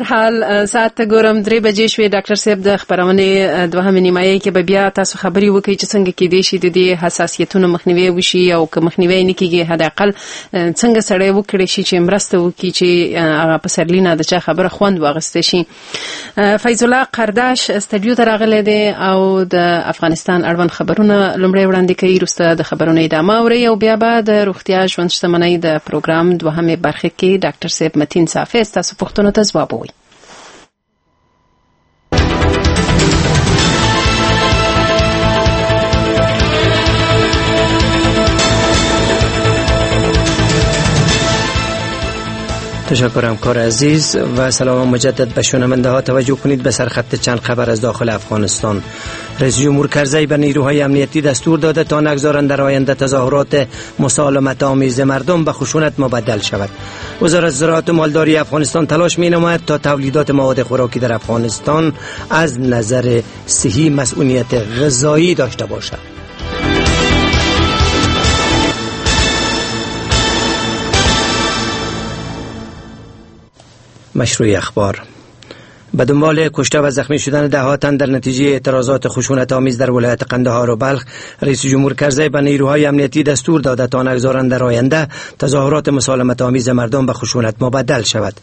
حال ساعت ته ګورم 3 بجې شوې. ډاکټر صاحب د خبرونې دوهمې نیمایي کې به بیا تاسو خبرې وکړئ چې څنګه کېدای شي د دې حساسیتونو مخنیوی وشي او که مخنیوی نه کېږي حداقل څنګه سړی وکړي شي چې مرسته وکړي چې هغه پسرلي نه د چا خبره خوند واغستی شي. فیض الله قرداش استودیو ته راغلی دی او د افغانستان اړوند خبرونه لومړی وړاندې کوي، وروسته د خبرونو ادامه اورئ او بیا به د روغتیا ژوند شتمنۍ د پروګرام دوهمې برخې کې ډاکټر صاحب متین صافی ستاسو پوښتنو ته ځواب ووایي. تشکر همکار عزیز و سلام مجدد به شنونده ها. توجه کنید به سرخط چند خبر از داخل افغانستان. رئیس جمهور کرزی به نیروهای امنیتی دستور داده تا نگذارند در آینده تظاهرات مسالمت آمیز مردم به خشونت مبدل شود. وزارت زراعت و مالداری افغانستان تلاش می نماید تا تولیدات مواد خوراکی در افغانستان از نظر صحی مسئولیت غذایی داشته باشد. مشروع اخبار. به دنبال کشته و زخمی شدن ده تن در نتیجه اعتراضات خشونت آمیز در ولایت قندهار و بلخ، رئیس جمهور کرزی به نیروهای امنیتی دستور داده تا نگذارند در آینده تظاهرات مسالمت آمیز مردم به خشونت مبدل شود.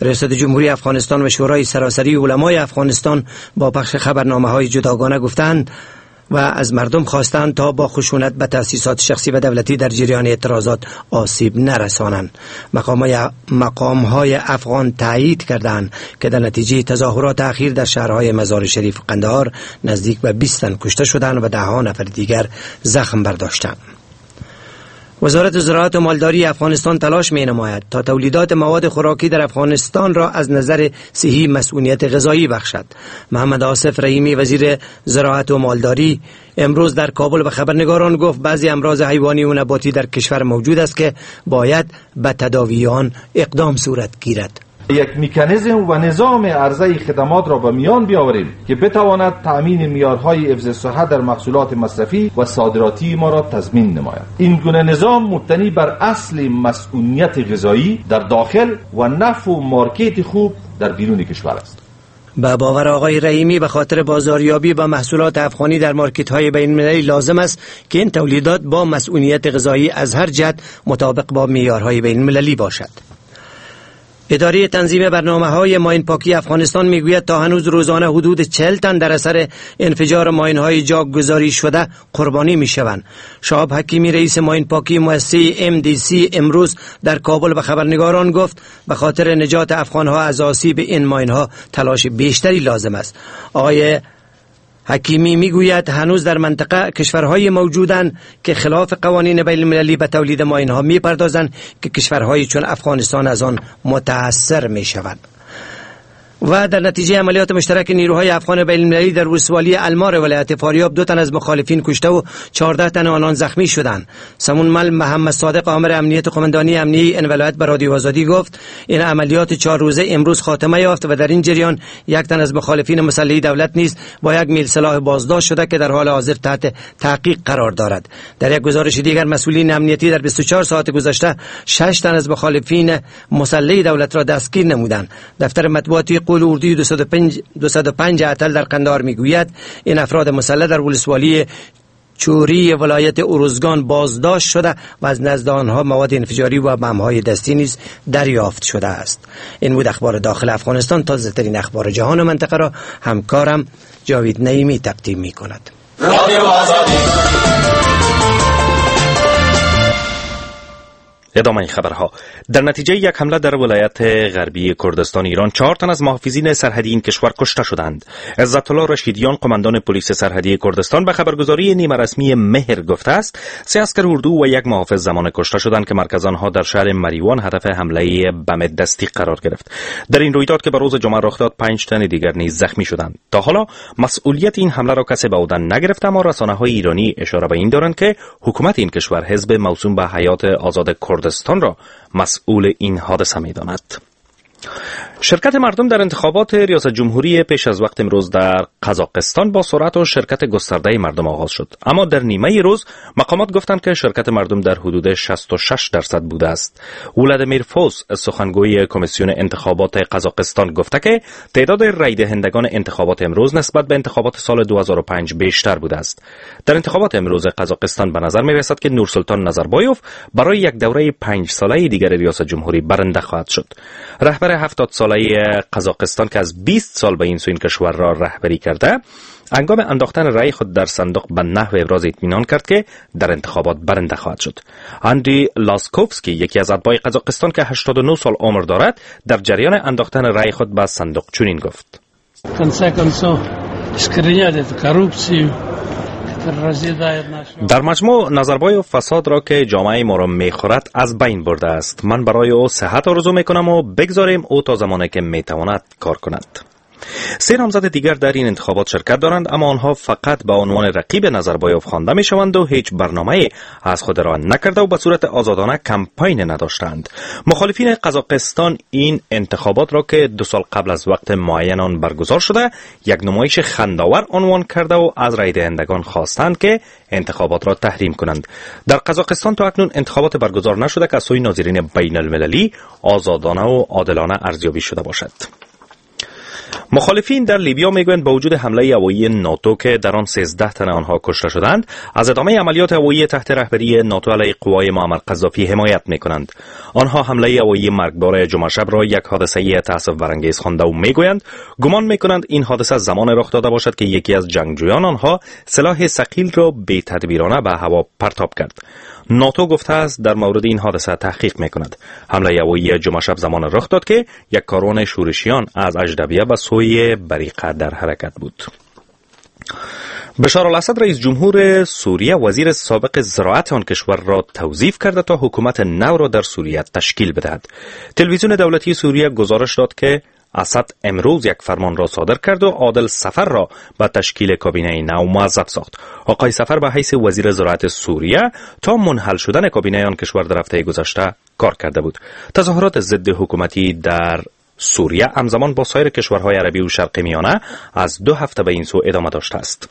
ریاست جمهوری افغانستان و شورای سراسری علمای افغانستان با پخش خبرنامه های جداگانه گفتند و از مردم خواستند تا با خشونت به تأسیسات شخصی و دولتی در جریان اعتراضات آسیب نرسانند. مقام‌های افغان تایید کردند که در نتیجه تظاهرات اخیر در شهرهای مزار شریف و قندهار نزدیک به 20 تن کشته شدند و ده نفر دیگر زخم برداشتند. وزارت زراعت و مالداری افغانستان تلاش می نماید تا تولیدات مواد خوراکی در افغانستان را از نظر صحی مسئولیت غذایی بخشد. محمد آصف رحیمی وزیر زراعت و مالداری امروز در کابل به خبرنگاران گفت بعضی امراض حیوانی و نباتی در کشور موجود است که باید به تداوی آن اقدام صورت گیرد. یک مکانیزم و نظام عرضه خدمات را به میان بیاوریم که بتواند تأمین معیارهای حفظ صحت در محصولات مصرفی و صادراتی ما را تضمین نماید. این گونه نظام مبتنی بر اصل مسئولیت غذایی در داخل و نفع و مارکت خوب در بیرون کشور است. به باور آقای رحیمی به خاطر بازاریابی با محصولات افغانی در مارکت های بین المللی لازم است که این تولیدات با مسئولیت غذایی از هر جهت مطابق با معیارهای بین المللی باشد. اداره تنظیم برنامه‌های ماین پاکی افغانستان میگوید تا هنوز روزانه حدود 40 تن در اثر انفجار ماین‌های جاگذاری شده قربانی میشوند. شهاب حکیمی رئیس ماین پاکی مؤسسه MDC امروز در کابل به خبرنگاران گفت به خاطر نجات افغانها از آسیب این ماین‌ها تلاش بیشتری لازم است. آقای حکیمی میگوید هنوز در منطقه کشورهای موجودند که خلاف قوانین بین المللی به تولید ماین‌ها میپردازند که کشورهای چون افغانستان از آن متاثر میشوند. و در نتیجه عملیات مشترک نیروهای افغان بین المللی در ولسوالی المار ولایت فاریاب 2 تن از مخالفین کشته و 14 تن آنان زخمی شدند. سمونمل محمد صادق آمر امنیت قماندانی امنیه این ولایت به رادیو آزادی گفت این عملیات 4 روزه امروز خاتمه یافت و در این جریان 1 تن از مخالفین مسلح دولت نیز با 1 میل سلاح بازداشت شده که در حال حاضر تحت تحقیق قرار دارد. در یک گزارش دیگر مسئولین امنیتی در 24 ساعت گذشته 6 تن از مخالفین مسلح دولت را دستگیر نمودند. دفتر مطبوعاتی قول اردوی 205 اتل در قندهار میگوید این افراد مسلح در ولسوالی چوری ولایت اروزگان بازداشت شده و از نزد آنها مواد انفجاری و بم‌های دستی نیز دریافت شده است. این بود اخبار داخل افغانستان. تازه ترین اخبار جهان و منطقه را همکارم جاوید نعیمی تقدیم می کند. ادامه خبرها. در نتیجه یک حمله در ولایت غربی کردستان ایران 4 تن از محافظین سرحدی این کشور کشته شدند. عزت الله رشیدیان قماندان پلیس سرحدی کردستان به خبرگزاری نیمه رسمی مهر گفته است 3 عسکر اردو و 1 محافظ زمان کشته شدند که مرکز آنها در شهر مریوان هدف حمله بم دستی قرار گرفت. در این رویداد که به روز جمعه رخ داد 5 تن دیگر نیز زخمی شدند. تا حالا مسئولیت این حمله را کسی به عهده نگرفته، اما رسانه‌های ایرانی اشاره به این دارند که حکومت این کشور حزب موسوم به حیات آزاد کردستان را مسئول این حادثه می داند. شرکت مردم در انتخابات ریاست جمهوری پیش از وقت امروز در قزاقستان با سرعت و شرکت گسترده مردم آغاز شد، اما در نیمه روز مقامات گفتند که شرکت مردم در حدود 66% بوده است. ولادیمیر فوس، سخنگوی کمیسیون انتخابات قزاقستان، گفته که تعداد رای دهندگان انتخابات امروز نسبت به انتخابات سال 2005 بیشتر بوده است. در انتخابات امروز قزاقستان به نظر می رسد که نورسلطان نظربایوف برای یک دوره 5 ساله دیگر ریاست جمهوری برنده خواهد شد. رهبر 70 ساله قزاقستان که از 20 سال به این سو این کشور را رهبری کرده، هنگام انداختن رأی خود در صندوق به نحو ابراز اطمینان کرد که در انتخابات برنده خواهد شد. اندری لاسکوفسکی، یکی از اتباع قزاقستان که 89 سال عمر دارد، در جریان انداختن رأی خود به صندوق چنین گفت: در مجموع نظربایوف فساد را که جامعه ما را میخورد از بین برده است. من برای او صحت آرزو میکنم و بگذاریم او تا زمانی که میتواند کار کند. 3 نامزد دیگر در این انتخابات شرکت دارند، اما آنها فقط به عنوان رقیب نظربایوف خوانده میشوند و هیچ برنامه از خود را نکرده و به صورت آزادانه کمپاین نداشتند. مخالفین قزاقستان این انتخابات را که 2 سال قبل از وقت معین آن برگزار شده، یک نمایش خندآور عنوان کرده و از رای دهندگان خواستند که انتخابات را تحریم کنند. در قزاقستان تا اکنون انتخابات برگزار نشده که از سوی ناظرین بین المللی آزادانه و عادلانه ارزیابی شده باشد. مخالفین در لیبیا میگویند با وجود حمله هوایی ناتو که در آن 13 تن آنها کشته شدند، از ادامه عملیات هوایی تحت رهبری ناتو علیه قوای معمر قذافی حمایت میکنند. آنها حمله هوایی مرگبار جمعه شب را یک حادثه تأسف برانگیز خوانده و میگویند گمان میکنند این حادثه زمان رخ داده باشد که یکی از جنگجویان آنها سلاح ثقیل را بی تدبیرانه به هوا پرتاب کرد. ناتو گفته است در مورد این حادثه تحقیق میکند. حمله هوایی جمعه شب زمان رخ داد که یک کاروان شورشیان از اجدبیه به سوی بریقه در حرکت بود. بشار الاسد، رئیس جمهور سوریه، وزیر سابق زراعت آن کشور را توظیف کرده تا حکومت نو را در سوریه تشکیل بدهد. تلویزیون دولتی سوریه گزارش داد که اسد امروز یک فرمان را صادر کرد و عادل سفر را به تشکیل کابینه نو موظف ساخت. آقای سفر به حیث وزیر زراعت سوریه تا منحل شدن کابینه آن کشور در هفته گذشته کار کرده بود. تظاهرات ضد حکومتی در سوریه همزمان با سایر کشورهای عربی و شرق میانه از 2 هفته به این سو ادامه داشته است.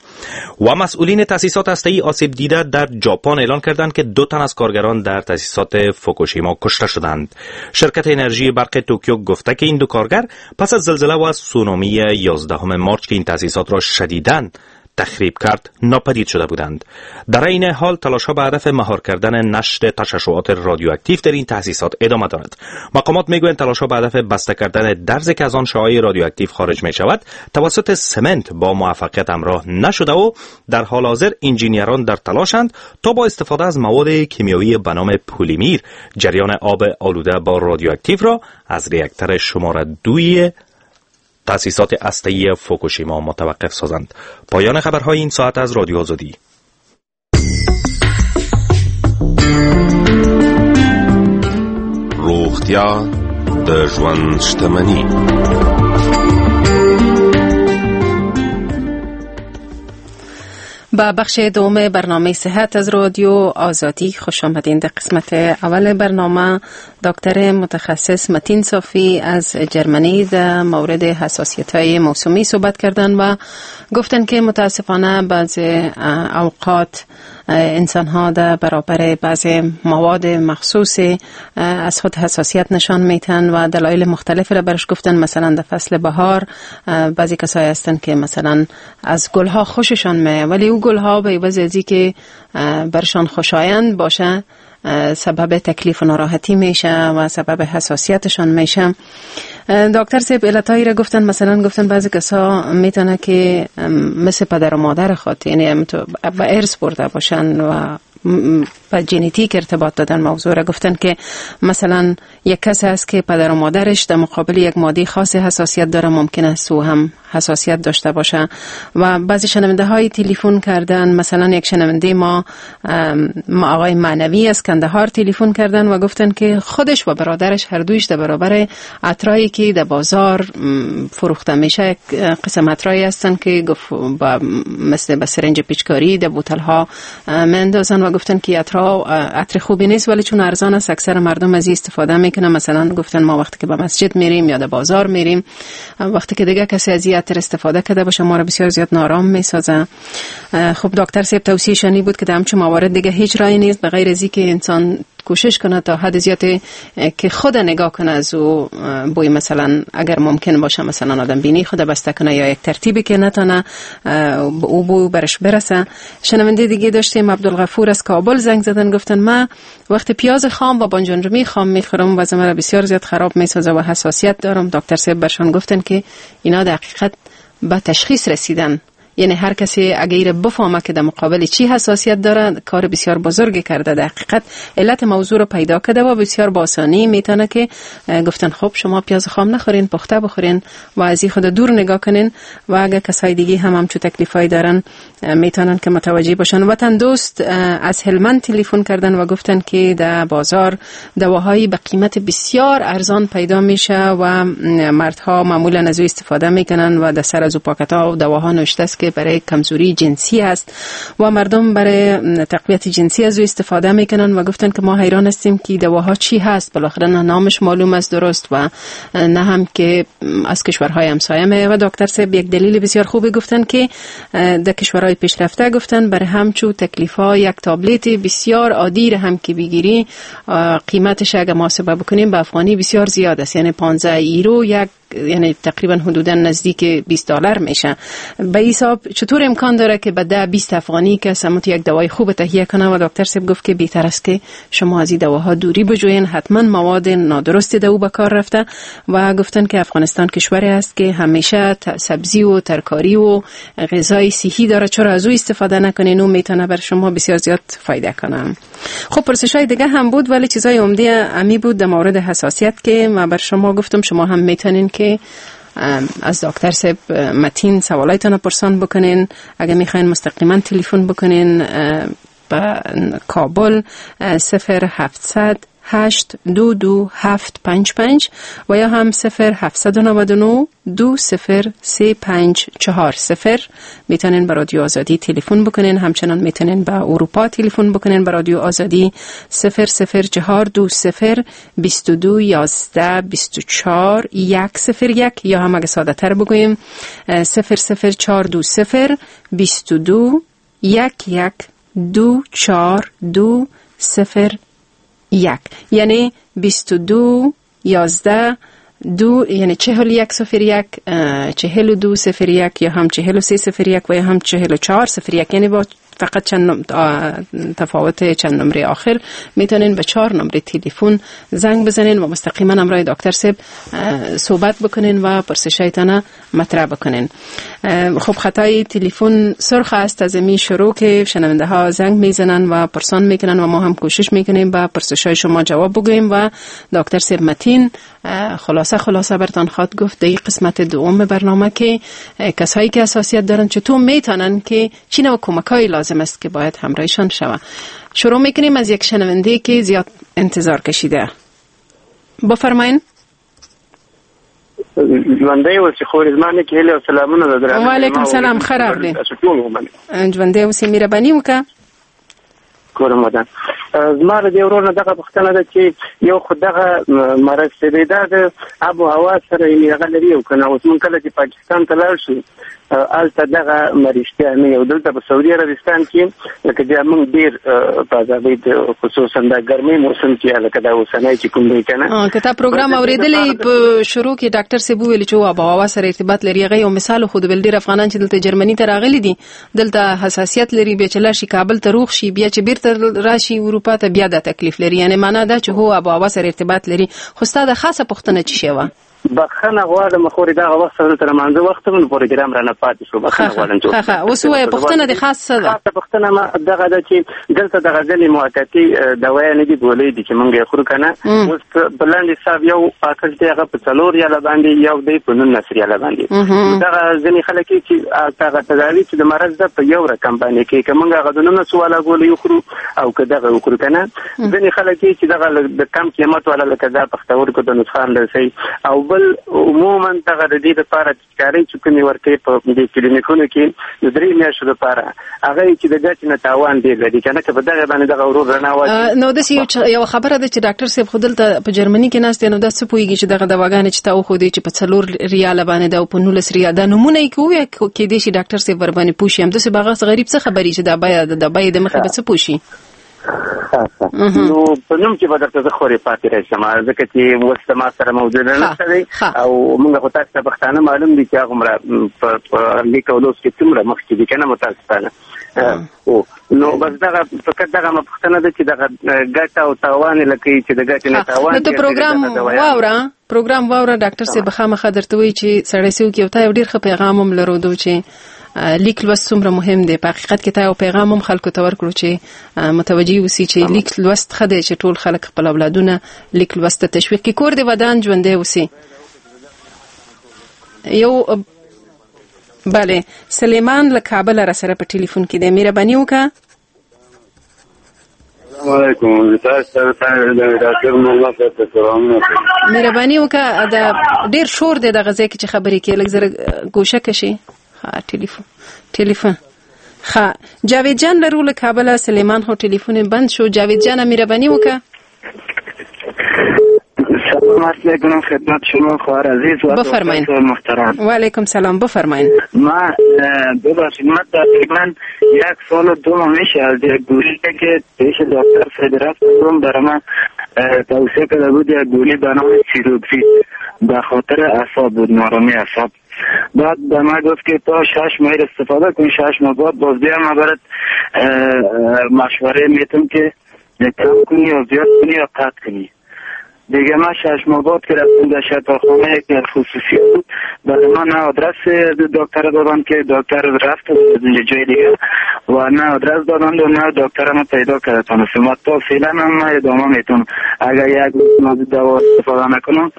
و مسئولین تأسیسات هسته‌ای آسیب دیده در ژاپن اعلان کردند که 2 تن از کارگران در تأسیسات فوکوشیما کشته شدند. شرکت انرژی برق توکیو گفته که این 2 کارگر پس از زلزله و سونامی 11 مارچ که این تأسیسات را شدیداً تخریب کرد ناپدید شده بودند. در این حال تلاش‌ها به هدف مهار کردن نشت تشعشعات رادیواکتیو در این تأسیسات ادامه دارد. مقامات میگویند تلاش‌ها به هدف بسته کردن درزی که از آن شعاع رادیواکتیو خارج می شود توسط سمنت با موفقیت همراه نشده و در حال حاضر انجینیران در تلاشند تا با استفاده از مواد کیمیایی به نام پلیمیر جریان آب آلوده با رادیواکتیو را از ریاکتور شماره 2 تأسیسات هسته‌ای فوکوشیما متوقف سازند. پایان خبرهای این ساعت از رادیو آزادی. روغتیا د ژوند شتمنی. با بخش دوم برنامه صحت از رادیو آزادی خوش آمدین. در قسمت اول برنامه دکتر متخصص متین صافی از جرمنی در مورد حساسیت های موسمی صحبت کردن و گفتن که متاسفانه بعض اوقات انسان ها در برابر بعض مواد مخصوص از خود حساسیت نشان میتن و دلایل مختلف را برش گفتن. مثلا در فصل بهار بعضی کسایی هستن که مثلا از گل ها خوششان میاد، ولی او گل ها به عوض از که برشان خوشایند باشه سبب تکلیف و ناراحتی میشه و سبب حساسیتشان میشه. دکتر صاحب علتایی را گفتن، مثلا گفتن بعضی کسا میتونه که مثل پدر و مادر خود، یعنی به ارث برده باشن و با ژنتیک ارتباط دادن موضوع را. گفتن که مثلا یک کس هست که پدر و مادرش در مقابل یک ماده خاص حساسیت داره، ممکن است او هم حساسیت داشته باشه. و بعضی شنونده های تلفن کردن، مثلا یک شنونده ما آقای معنوی از کندهار تلفن کردن و گفتن که خودش و برادرش هر دویش در برابر عطرایی که در بازار فروخته میشه، قسم عطرایی هستن که گفت با مثل به سرنج پیچکاری در بوتل ها مندازن و گفتن که عطرها عطر خوبی نیست، ولی چون ارزان است اکثر مردم از این استفاده میکنن. مثلا گفتن ما وقتی که به مسجد میریم یا در بازار میریم، وقتی که دیگه کسی از این عطر استفاده کرده باشه ما رو بسیار زیاد نارام میسازه. خب دکتر صاحب توصیه شانی بود که در همچون موارد دیگه هیچ راهی نیست به غیر از اینکه انسان کوشش کنه تا حد زیاد که خود نگاه کنه از او بوی، مثلا اگر ممکن باشه مثلا آدم بینی خود بسته کنه یا یک ترتیبی که نتونه او بو برش برسه. شنونده دیگه داشتیم عبدالغفور از کابل زنگ زدن، گفتن من وقتی پیاز خام و بانجان رومی خام میخورم وضع مرا بسیار زیاد خراب میسازه و حساسیت دارم. دکتر صاحب برشان گفتن که اینا در حقیقت به تشخیص رسیدن، یعنی هر کسی اگر بفهمه که در مقابل چی حساسیت داره کار بسیار بزرگی کرده، در حقیقت علت موضوع رو پیدا کرده و بسیار با آسانی میتونه که گفتن خب شما پیاز خام نخورین، پخته بخورین و از این خود دور نگاه کنین و اگر کسای دیگه هم همچو تکلیفای دارن میتونن که متوجه باشن. وطن دوست از هلمند تلفن کردن و گفتن که در بازار دواهایی به قیمت بسیار ارزان پیدا میشه و مردها معمولا از او استفاده میکنن و در سر از او پاکت‌ها و دواها نوشته است که برای کمزوری جنسی است و مردم برای تقویت جنسی از او استفاده میکنن و گفتن که ما حیران هستیم که دواها چی هست، بالاخره نه نامش معلوم است درست و نه هم که از کشورهای همسایه میه. و دکتر صاحب یک دلیل بسیار خوبی گفتن که در کشورهای پیشرفته گفتن برای همچو تکلیف‌ها یک تابلت بسیار عادی را هم که بگیری قیمتش اگه محاسبه بکنیم به افغانی بسیار زیاد است، یعنی 15 یورو یک، یعنی تقریبا حدودا نزدیک $20 میشه. به حساب چطور امکان داره که به 10-20 افغانی که سمت یک دوای خوب تهیه کنه؟ و دکتر صاحب گفت که بهتر است که شما از این دواها دوری بجوین، حتما مواد نادرست دو به کار رفته. و گفتن که افغانستان کشوری است که همیشه سبزی و ترکاری و غذای صحی داره، چرا از او استفاده نکنین، او میتونه بر شما بسیار زیاد فایده کنه. خب پرسش های دیگه هم بود ولی چیزای عمده امی بود در مورد حساسیت که ما بر شما گفتم. شما هم میتونین که از دکتر صاحب متین سوالایتان رو پرسان بکنین، اگه میخواین مستقیما تلفن بکنین به کابل 0700 822 755 و یا هم 0799 20 3540 میتونین به رادیو آزادی تلفن بکنین. همچنان میتونین به اروپا تلفن بکنین به رادیو آزادی 00420 22 11 24 101 یا هم اگه ساده تر بگوییم 00420 22 11 24 2 0 1، یعنی 22 11 2، یعنی 41 01 42 01 یا هم 43 01 و یا هم 44 01، یعنی با فقط چند تفاوت چند نمره آخر میتونین به 4 نمره تلفن زنگ بزنین و مستقیما همراه دکتر صاحب صحبت بکنین و پرسشایتان مطرح بکنین. خب خطای تلفن سرخ است از می شروع که شنونده ها زنگ میزنن و پرسان میکنن و ما هم کوشش میکنیم به پرسشای شما جواب بگوییم و دکتر صاحب متین خلاصه برتان خواد گفت در قسمت دوم برنامه که کسایی که حساسیت دارن چطور میتونن که چی نوع کمک‌های لازم است که باید همراهشان شوه. شروع میکنیم از یک شنونده که زیاد انتظار کشیده. بفرمایین. ژوندی اوسې خورې، زما نیکې هیلې او سلامونه ده درانه. وعلیکم سلام، ښه راغلې. ژوندی اوسې، مهرباني وکړه. کورم ودان. زما له دې ورور نه دغه پوښتنه ده چې یو خو دغه مرض چې دی دا د آب و هوا سره یعنې هغه لري او که نه؟ اوس موږ کله چې پاکستان ته لاړ شو هلته دغه مرشتیا نه یو، دلته په سعودي عربستان کې لکه بیا موږ ډېر په ازادۍ خصوصا د ګرمۍ موسم کې لکه دا اوسنی چې کوم دی که نه. که تا پروګرام اورېدلی په شروع کې ډاکټر صاحب وویل چې آب و هوا سره ارتباط لري، هغه یو مثال ښود، ویل ډېر افغانان چې دلته جرمني ته راغلي دي دلته حساسیت لري، بیا چې لاړ شي کابل ته روغ شي، بیا چې بیرته راشي اروپا ته بیا دا تکلیف لري، یعنی معنا دا چې هو آب و هوا سره ارتباط لري. خو ستا د خاصه پوښتنه څه شی وه؟ بخښنه غواړم خورې، دغه وخت سره تر مانځه وخت هم پروګرام رانه پاتې شو، بخښنه غواړم. ښه اوس ووایه، پوښتنه دې خاص څه ده؟ خاصه پوښتنه ما دغه ده چې دلته دغه ځینې موقتي دوايانې دي، ګولۍ دي چې مونږ یې خورو که نه. اوس په لنډ حساب یو پاکټ دی هغه په 4 ریاله باندې، یو دی په 19 ریاله باندې. دغه ځینې خلک چې دغه تداوي چې د مرض ده په یو رقم باندې کوي، که مونږ هغه د 19 والا ګولۍ وخورو او که دغه وخورو که نه. ځینې خلک چې دغه د کم قیمت والا لکه دا پښتورګو ته نقصان رسوي، او بل عموما دغه د دې لپاره پیچکارۍ چې کومې ورکوي په دې کلینیکونو کې د 3 میاشتو لپاره، هغه یې چې د ګټې نه تاوان ډېر لري که نه، که په دغه باندې دغه ورور رڼا واچوي. نو داسې یوه خبره ده چې ډاکټر صاحب خو دلته په جرمني کې ناست دی، نو دا څه پوهېږي چې دغه دواګانې چې تا وښودې چې په 4 ریاله باندې ده او په 19 ریال، دا نومونه یې که ووایه کېدای شي ډاکټر صاحب ورباندې پوه شي. همداسې به هغه غریب څه خبري چې دا بیې د مخې به څه پوه شي؟ نو په نوم کې به درته زه خورې پاتې راشم، ځکه چې اوس زما سره موجوده نشته دی، او موږ خو تاسو ته پښتانه معلوم دي چې هغومره په لیک او لوست کې څومره مخکې دي که نه، متاسفانه. نو بس دغه فقط دغه ما پوښتنه ده چې دغه ګټه او تاوان لکه چې د ګټې نه تاوان. نو ته پروګرام واوره ډاکټر صاحب خامخا درته وایي چې سړی څه وکړي. او تا یو ډېر ښه پیغام هم لرو چې لیک لوست څومره مهم دی. په حقیقت کې تا یو پیغام هم خلکو ته ورکړو چې متوجه اوسي چې لیک لوست ښه دی، چې ټول خلک خپل اولادونه لیک لوست ته تشویق کړي. کور دې ودان، ژوندی اوسي. یو بله سلیمان له کابله را سره په ټلیفون کې دی، مهرباني وکړه. السلام علیکم، تاسو ته ډاکټر محمد صاحب ته سلامونه. مهرباني وکړه، دا ډېر شور دی دغه ځای کې چې خبرې کوې، لږ زره ګوشه که شي. ټلیفون ښه جاوید جان لرو له کابله. سلیمان خو ټلیفون یې بند شو. جاوید جان مهرباني وکړه. سلام عرض میکنم خدمت شما خواهر عزیز و بفرمایین. محترم. و علیکم سلام، بفرمایین. ما ببخشید، من تقریبا 1 سال و 2 ماه میشه از یک گولی که پیش دکتر سید رفتم، برای من توصیه کرده بود یک گولی به نام سیروکسید به خاطر اعصاب بود، نارامی اعصاب. بعد به من گفت که تا 6 ماه استفاده کن، 6 ماه بعد باز بیا من برات مشوره میتم که کم کنی یا زیاد کنی یا قطع کنی. دیگه من 6 ماه بعد که رفتم در شفاخانه که خصوصی بود، برای من نه آدرس دکتر دادن که دکتر رفت جای دیگه و نه آدرس دادن و نه دکتر ما پیدا کرده تانستم و تا فعلا هم من ادامه میتونم. اگر یک روز دوا استفاده نکنم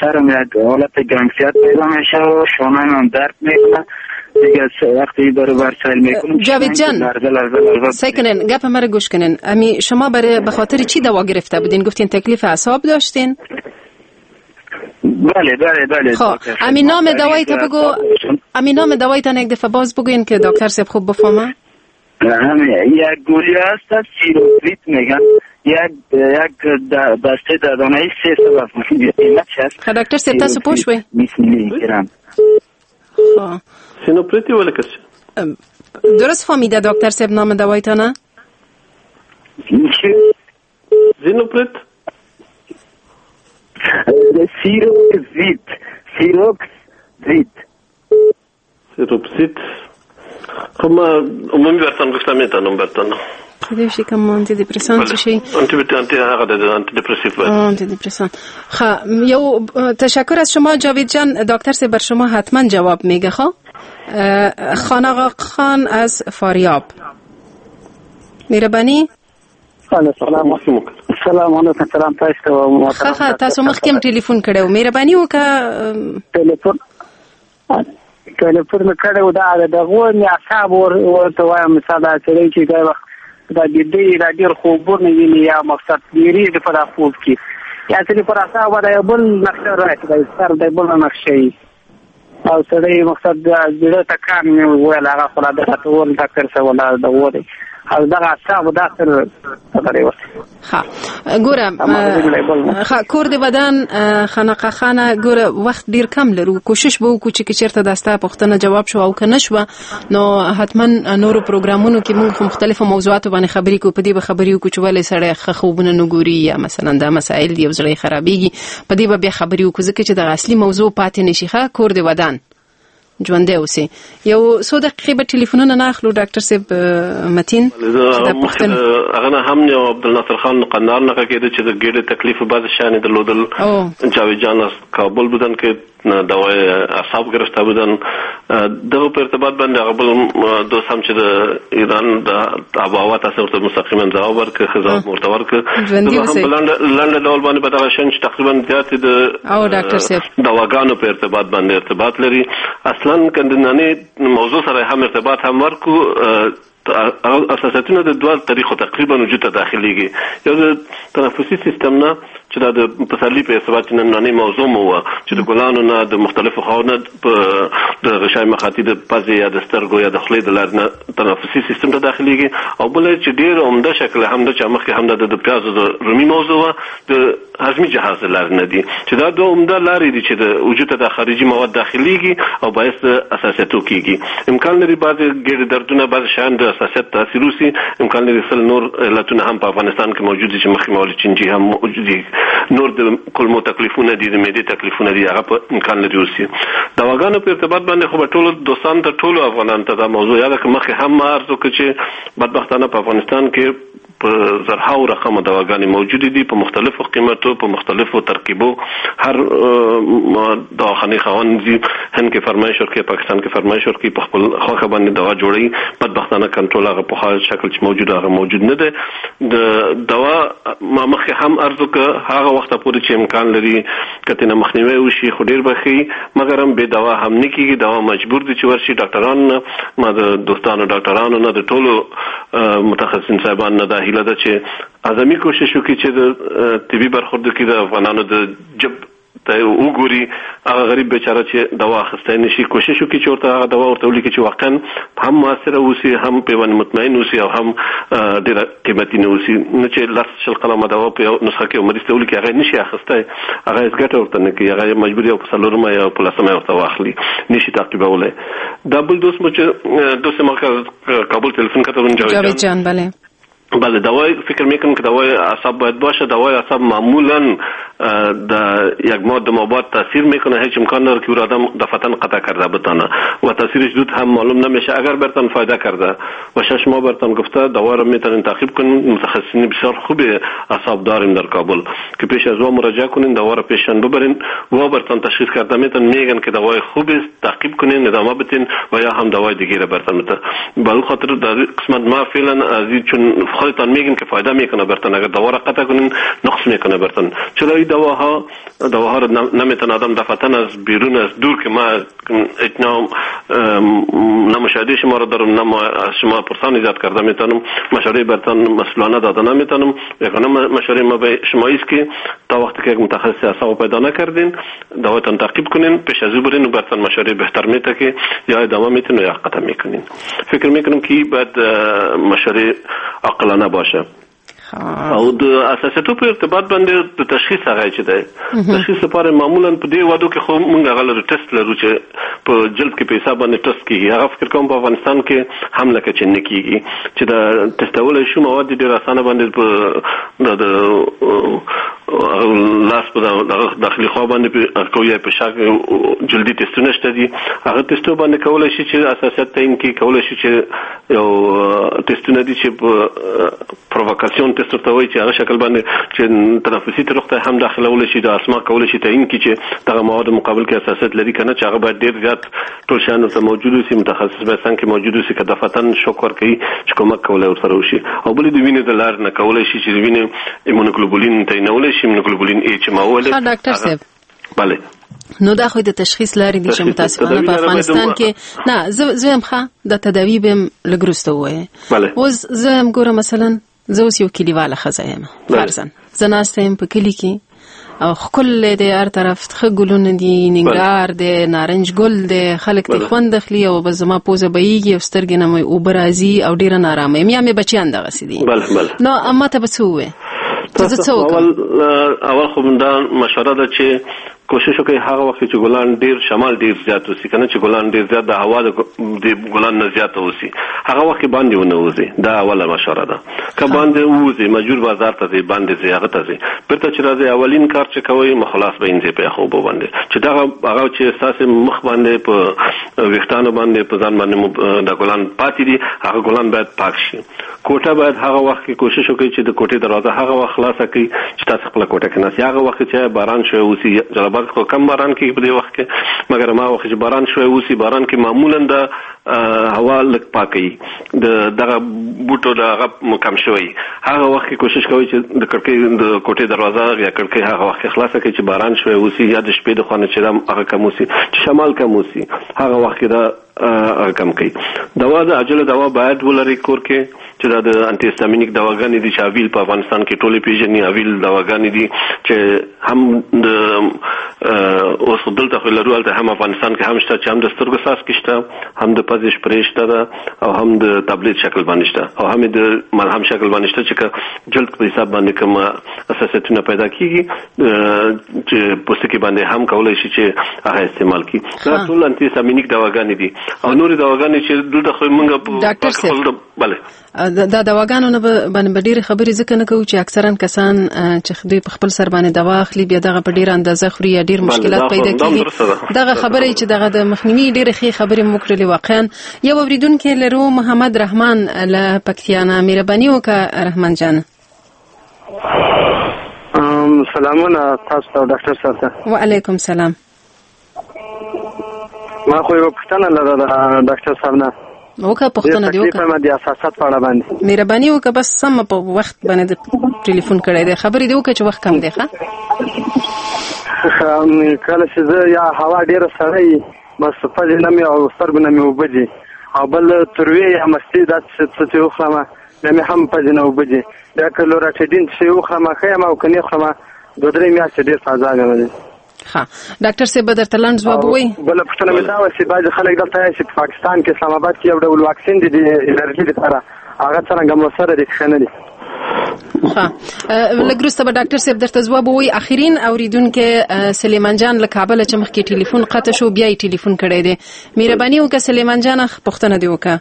سرم یک حالت گنگسیت پیدا میشه و شانه هم درد میکنه. دیگه وقتی برابر سیل میکنم. جاوید جان سعی کنین گپ مرا گوش کنین. امی شما برای به خاطر چی دوا گرفته بودین؟ گفتین تکلیف اعصاب داشتین؟ بله بله بله. خب امی نام دوایی تا بگو، امی نام دوایی تا یک دفعه باز بگوین که دکتر صاحب خوب بفهمه. یک گولی هست سیروپریت میگن، یک بسته دادانه 300 قیمت هست. خب دکتر صاحب تاسو پوه شوئ؟ 20 میلی گرم. خب سینوپریتی ولا کس درست فهمیده دکتر صاحب نام دوایتانه؟ زینوپریت سیروکزیت، سیروکزیت، سیروکزیت. خب ما عمومی برتان گفتم میتونم برتان کدی شي کوم انتي دیپرسان څه شي؟ انتي هغه د انتي دپرسیو انتي دپرسان. خب یو تشکر از شما جاوید جان. دکتر صاحب بر شما حتما جواب میگه. خب خان آقا خان از فاریاب، مهرباني. سلام سلام علیکم. سلام تاسو ته. ښه تاسو مخکې هم ټلیفون کړی و، مهرباني وکړه. ټلیفون مې کړی و، دا دغه مې اعصاب ورته وایم. مثال دا سړی چې دا وخت دا دې دا ډېر خوبونه ویني یا مقصد ډېرېږي په دا خوب کې، یا سړي پر اعصاب دا یو بل نقشه راشي، دا سر د بل نقشه وي او سړی مقصد زړه ټکان مې وویل، هغه خو لا د راته وویل ډاکټر صاحب ولاړ ده وویل او دغه اعصاب دا سر خبرې وکړې. ښه ګوره، ښه کور دې ودان خانقاه خانه. ګوره وخت ډیر کم لرو، کوشش به وکړو چې که چېرته دا ستا پوښتنه جواب شو او که نه شوه نو حتما نورو پروګرامونو کې موږ خو مختلفو موضوعاتو باندې خبرې کوو، په دې به خبرې وکړو چې ولې سړی ښه خوبونه نه ګوري یا مثلا دا مسایل دي او زړه یې خرابېږي، په دې به بیا خبرې وکړو، ځکه چې دغه اصلي موضوع پاتې نه شي. ښه کور دې ودان. ژوندی اوسئ. یو څو دقیقې به ټلیفونونه نه اخلو ډاکټر صاحب متین. هغه نه هم یو عبدالناصر خان قندهار نه کېده چې د ګېډې تکلیف بعضې شیان یې درلودل. جاوید جان از کابل بودن که دوای اعصاب گرفته بودن. دغه په ارتباط باندې هغه بل دوست هم چې د ایران د آب و هوا تاسو ورته مستقیما ځواب ورکړ، ښه ځواب ورته ورکړ. هم په لنډه ډول باندې به دغه شیان چې تقریبا زیات د دواګانو په ارتباط باندې ارتباط لري. اصلا که د نننۍ موضوع سره هم ارتباط هم ورکو، اساسیتونه د دوه طریقو تقریبا وجود ته داخليږي. یو د تنفسي سیستم نه چې دا د پسرلي په ارتباط چې نننۍ موضوع مو وه چې د ګلانو نه د مختلفو خواو نه د غشای مخاطي د پزې یا د سترګو یا د خولې د لارې نه تنفسي سیستم ته داخليږي. او بل چې ډېر عمده شکل هم د چې مخکې هم د پیازو د رومي موضوع وه، د هضمي جهاز د لارې نه دي، چې دا دوه عمده لارې دي چې د وجود ته د خارجي مواد داخليږي او باعث د حساسیتو کیږي. امکان لري بعضې ګېډې دردونه بعضې شیان د حساسیت تاثیر وسي، امکان لري سل نور علتونه هم په افغانستان کې موجود دي چې مخکې مې وویل چینجي هم موجود دي، نور د کولمو تکلیفونه دي، د معدې تکلیفونه دي، هغه په امکان لري اوسي. دواګانو په ارتباط باندې خو به ټولو دوستانو ته ټولو افغانانو ته دا موضوع یاده کړم. مخکې هم ما عرض وکړ چې بدبختانه په افغانستان کې په زرهاو رقمه دواګانې موجودې دي، په مختلفو قیمتو، په مختلفو ترکیبو. هر دواخانې خاوند ځي هند کې فرمایش ورکوي، پاکستان کې فرمایش ورکوي، په خپل خوښه باندې دوا جوړوي. بدبختانه کنټرول هغه پخوا شکل چې موجود هغه موجود نه دی. د دوا ما مخکې هم عرض وکړ، هغه وخته پورې چې امکان لري که ترېنه مخنیوی وشي خو ډېر به ښه وي، مګر هم بې دوا هم نه کېږي. دوا مجبور دي چې ورشي ډاکټرانو نه، ما د دوستانو ډاکټرانو نه، د ټولو متخصصین صاحبانو نه دا هیله ده چې اعظمي کوشش وکړي چې د طبي برخورد کې د افغانانو د جب ته وګوري. هغه غریب بیچاره چې دوا اخیستی نه شي، کوشش وکړي چې ورته هغه دوا ورته ولیکي چې واقعا هم موثره اوسي، هم پرې باندې مطمئن اوسي او هم ډېره قیمتي نه اوسي. نه چې 10 20 قلمه دوا په یو نسخه کې یو مریض ته ولیکي، هغه یې نه شي اخیستی، هغه هېڅ ګټه ورته نه کوي، هغه یې مجبور یو په څلورمه یا په لسمه ورته واخلي، نه شي تعقیبولی. دا بل دوست مو چې دوست ما کابل تلفون کته، جاوید جان. بله بله، دوای فکر میکنم که دوای اعصاب باید باشه. دوای اعصاب معمولا در یک ماه دو ماه بعد تاثیر میکنه، هیچ امکان نداره که او آدم دفعتا قطع کرده بتانه و تاثیرش زود هم معلوم نمیشه. اگر برتان فایده کرده و 6 ماه برتان گفته دوا رو میتونین تعقیب کنین. متخصصین بسیار خوب اعصاب داریم در کابل که پیش از وا مراجعه کنین، دوا رو پیشان ببرین، وا برتان تشخیص کرده میتون، میگن که دوای خوب است، تعقیب کنین، ادامه بدین و یا هم دوای دیگه رو برتان بده. به خاطر در قسمت ما فعلا از چون خودتان میگن که فایده میکنه برتان، اگر دوا را قطع کنین نقص میکنه برتان. چرا این دواها رو نمیتونه آدم دفعتا از بیرون از دور که ما اتنا نه مشاهده شما رو دارم، نه از شما پرسان ایجاد کرده میتونم، مشوره برتان مسئولانه داده نمیتونم. یگانه مشوره ما به شما است که تا وقتی که یک متخصص اعصاب پیدا نکردین دوایتان تعقیب کنین، پیش از او برین و برتان مشوره بهتر میته که یا ادامه میتین و یا قطع میکنین. فکر میکنم که باید مشوره عاقلانه باشه. او د اساسیتو په ارتباط باندې د تشخیص هغه چې دی، تشخیص لپاره معمولا په دې وادو کې خو موږ هغه لرو ټیسټ لرو چې په جلد کې په حساب باندې ټیسټ کیږي. هغه فکر کوم په افغانستان کې هم لکه چې نه کیږي چې دا ټیسټولی شو. مواد ډېر اسانه باندې په د لاس په دغه داخلي خوا باندې په یا په شا جلدي ټیسټونه شته دي، هغه ټیسټو باندې کولی شي چې اساسیت تعین کړي. کولی شي چې یو ټیسټونه دي چې په پرووکاسیون ټیسټ ورته وایي چې هغه شکل باندې چې تنفسي طرق ته هم داخلولی شي، د اسما کولی شي تعین کړي چې دغه مواد مقابل کې اساسیت لري که نه، چې هغه باید ډېر زیات ټول شیان ورته موجود اوسي، متخصص باید څنګ کې موجود اوسي که دفعتا شوک ورکوي چې کومک کولی ورسره وشي. او بل د وینې د لارې نه کولی شي چې د وینې ایمونوګلوبولین تعینولی شي، ایمونوګلوبولین ای چې ما وویل. ښه ډاکټر صاحب، بله، نو دا خو د تشخیص لارې دي چې متاسفانه په افغانستان کې نه. زه هم ښه د تداوي به هم لږ وروسته ووایې. اوس زه هم ګورم مثلا زه اوس یو کلیواله ښځه یم، فرضاً زه ناسته یم په کلي کې او ښکلی دی، هر طرف ښه ګلونه دي، ننګرهار دی، نارنج ګل دی، خلک ترې خوند اخلي او بس زما پوزه بهیږي او سترګې نه مې اوبه راځي او ډېره نارامه یم، یا مې بچیان دغسې دي. نو ما ته به څه ووایې؟ زه څه وکړم؟ اول خو دا مشوره ده چې کوشش وکړئ هغه وخت چې ګلان ډیر شمال ډیر زیات وسی کنه، چې ګلان ډیر زیات د هوا د ګلان نه زیات وسی، هغه وخت باندې ونه وځي. دا اوله مشوره ده. که باندې ووځي مجبور بازار ته ځي، باندې ځي، هغه ته ځي، بیرته چې راځي اولین کار چې کوي مخلاص به انځي په یخو اوبو باندې، چې دغه هغه چې ستاسې مخ باندې په ویښتانو باندې په ځان باندې د ګلان پاتې دي، هغه ګلان باید پاک شي. کوټه باید هغه وخت کې کوشش وکړئ چې د کوټې دروازه هغه وخت خلاصه کړئ چې تاسو خپله کوټه کې ناست یئ. هغه وخت چې باران شوی اوسي، جلال آباد خو کم باران کېږي په دې وخت کې، مګر ما وخت چې باران شوی اوسي، باران کې معمولا د هوا لږ پاکوي، د دغه بوټو د هغه کم شوی، هغه وخت کې کوشش کوئ چې د کړکۍ د کوټې دروازه یا کړکۍ هغه وخت کې خلاصه کړئ چې باران شوی اوسي، یا د شپې د خوا نه چې هغه کم اوسي، چې شمال کم اوسي، هغه وخت کې دا هغه کم کوي. دوا د عاجله دوا باید ولرئ کور کې، چې دا د انټي هستامینیک دواګانې دي چې اویل په افغانستان کې ټولې پیژني. اویل دواګانې دي چې هم د اوس دلته خو لرو، هلته هم افغانستان کې هم شته، چې هم د سترګو څاڅکي شته، هم د پزې شپرې شته ده، او هم د تابلیت شکل باندې شته، او هم د ملهم شکل باندې شته، چې که جلد په حساب باندې کوم حساسیتونه پیدا کیږي چې پوستکي باندې هم کولای شي چې هغه استعمال کړي. دا ټول انټي هستامینیک دواګانې دي. او نورې دواګانې چې دلته خو موږ ډاکټر صاحب بله دا دواګانو نه باندې به ډېرې خبرې ځکه نه کوو چې اکثرا کسان چې دوی په خپل سر باندې دوا اخلي بیا دغه په ډېره اندازه خوري یا ډېر مشکلات پیدا کیږي. دغه خبرې چې دغه د مخنیوي ډېرې ښې خبرې مو کړلې. واقعا یو اورېدونکی لرو، محمد رحمان له پکتیا نه. مهرباني وکړه رحمان جان. سلامونه تاسو ته ډاکټر صاحب ته. وعلیکم سلام. ما خو یوه پوښتنه لرله ډاکټر صاحب نه. وکړه پوښتنه دې وکړه. د حساسیت په اړه باندې. مهرباني وکړه، بس سم په وخت باندې ټلیفون کړی دی، خبرې دې وکړه چې وخت کم دی. ښه کله چې زه یا هوا ډېره سړه وي، بس پزې نه مې او سترګو نه مې اوبه ځي، او بل تروې یا مستې داسې څه چې وخورم بیا مې هم پزې نه اوبه ځي، بیا که لوراټیډین څه وخورم ښه یم، او که نه خورم 2-3 میاشتې ډېر په عذاب یم. ښه ډاکټر صاحب به درته لنډ ځواب ووایي. بله پوښتنه مې دا وه چې بعضې خلک دلته وایي چې په پاکستان کې اسلام آباد کې یو ډول واکسین دی د الرژي لپاره، هغه څرنګه موثره دی که ښه نه دی؟ ښه لږ وروسته به ډاکټر صاحب درته ځواب ووایي. اخرین اورېدونکی سلیمان جان له کابله چې مخکې ټلیفون قطع شو بیا یې ټلیفون کړی دی. مهرباني وکړه سلیمان جان، پوښتنه دې وکړه.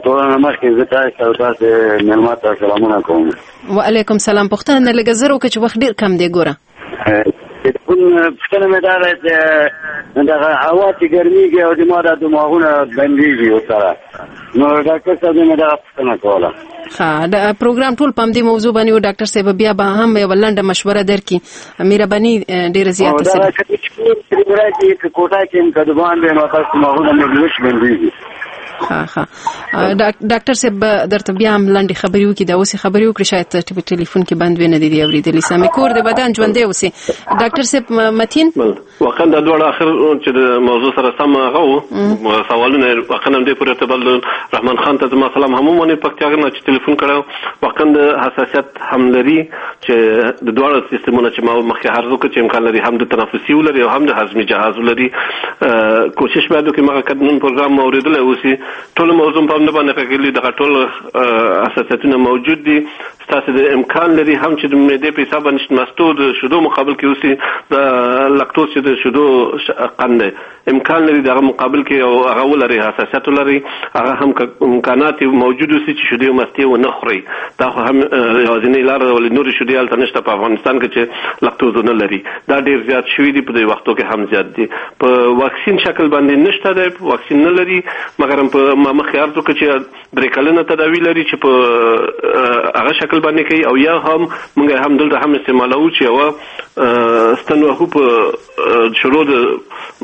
ټوله نه مخکې زه تاسو ته تاسې مېلمه ته سلامونه کوم. وعلیکم سلام. پوښتنه نه لږه زر وکړه چې وخت ډېر کم دی. ګوره پوښتنه مې دا ده چې دغه هوا چې ګرمېږي او زما دا دماغونه بندېږي ورسره، نو ډاکټر صاحب مې دغه پوښتنه کوله. ښه د پروګرام ټول په همدې موضوع باندې و. ډاکټر صاحب بیا به هم یوه لنډه مشوره درکړي. مهرباني ډېره زیاته سره. که کوټه کې یم که د باندې نو تاسو دماغونه مې وچ بندېږي. ښه ښه ډاکټر صاحب درته بیا هم لنډې خبرې وکړي. دا اوس خبرې وکړي، شاید په ټلیفون کې بند وي، نه دي اورېدلي. سمې کور د بدن ژوندی اوسې. ډاکټر صاحب متین، واقعا دا دواړه اخر چې د موضوع سره سم هغه وو سوالونه، واقعا هم دې پورې ارتباط رحمان خان ته زما سلام هم ومني پکتیا نه چې ټلیفون کړی. واقعا د حساسیت هم لري چې د دواړو سیستمونه چې ما مخکې عرض وکړ چې امکان لري هم د تنفسي ولري او هم د هضمي جهاز ولري. کوشش باید وکړي مګر که نن پروګرام مو اورېدلی اوسي ټول موضوع په همدې باندې غږېدلي، دغه ټول حساسیتونه موجود دي. ستاسې د امکان لري هم چې د معدې په حساب باندې مستو د شیدو مقابل کې اوسي، د لکتوز چې د شیدو قند دی، امکان لري دغه مقابل کې او هغه ولري، حساسیت ولري، هغه هم امکانات موجود اوسي چې شیدې او مستې ونه خوري. دا خو هم یوازینۍ لاره ده، ولې نورې شیدې هلته نشته په افغانستان کې چې لکتوز نه لري. دا ډېر زیات شوي دي په دې وختو کې هم زیات دي. په واکسین شکل باندې نشته دی، واکسین نه لري، مګر په ما مخکې عرض وکړ چې 3 کلنه تداوي لري چې په هغه شکل باندې کوي، او یا هم موږ هم دلته هم استعمالوو چې یوه ستن وهو په شروع د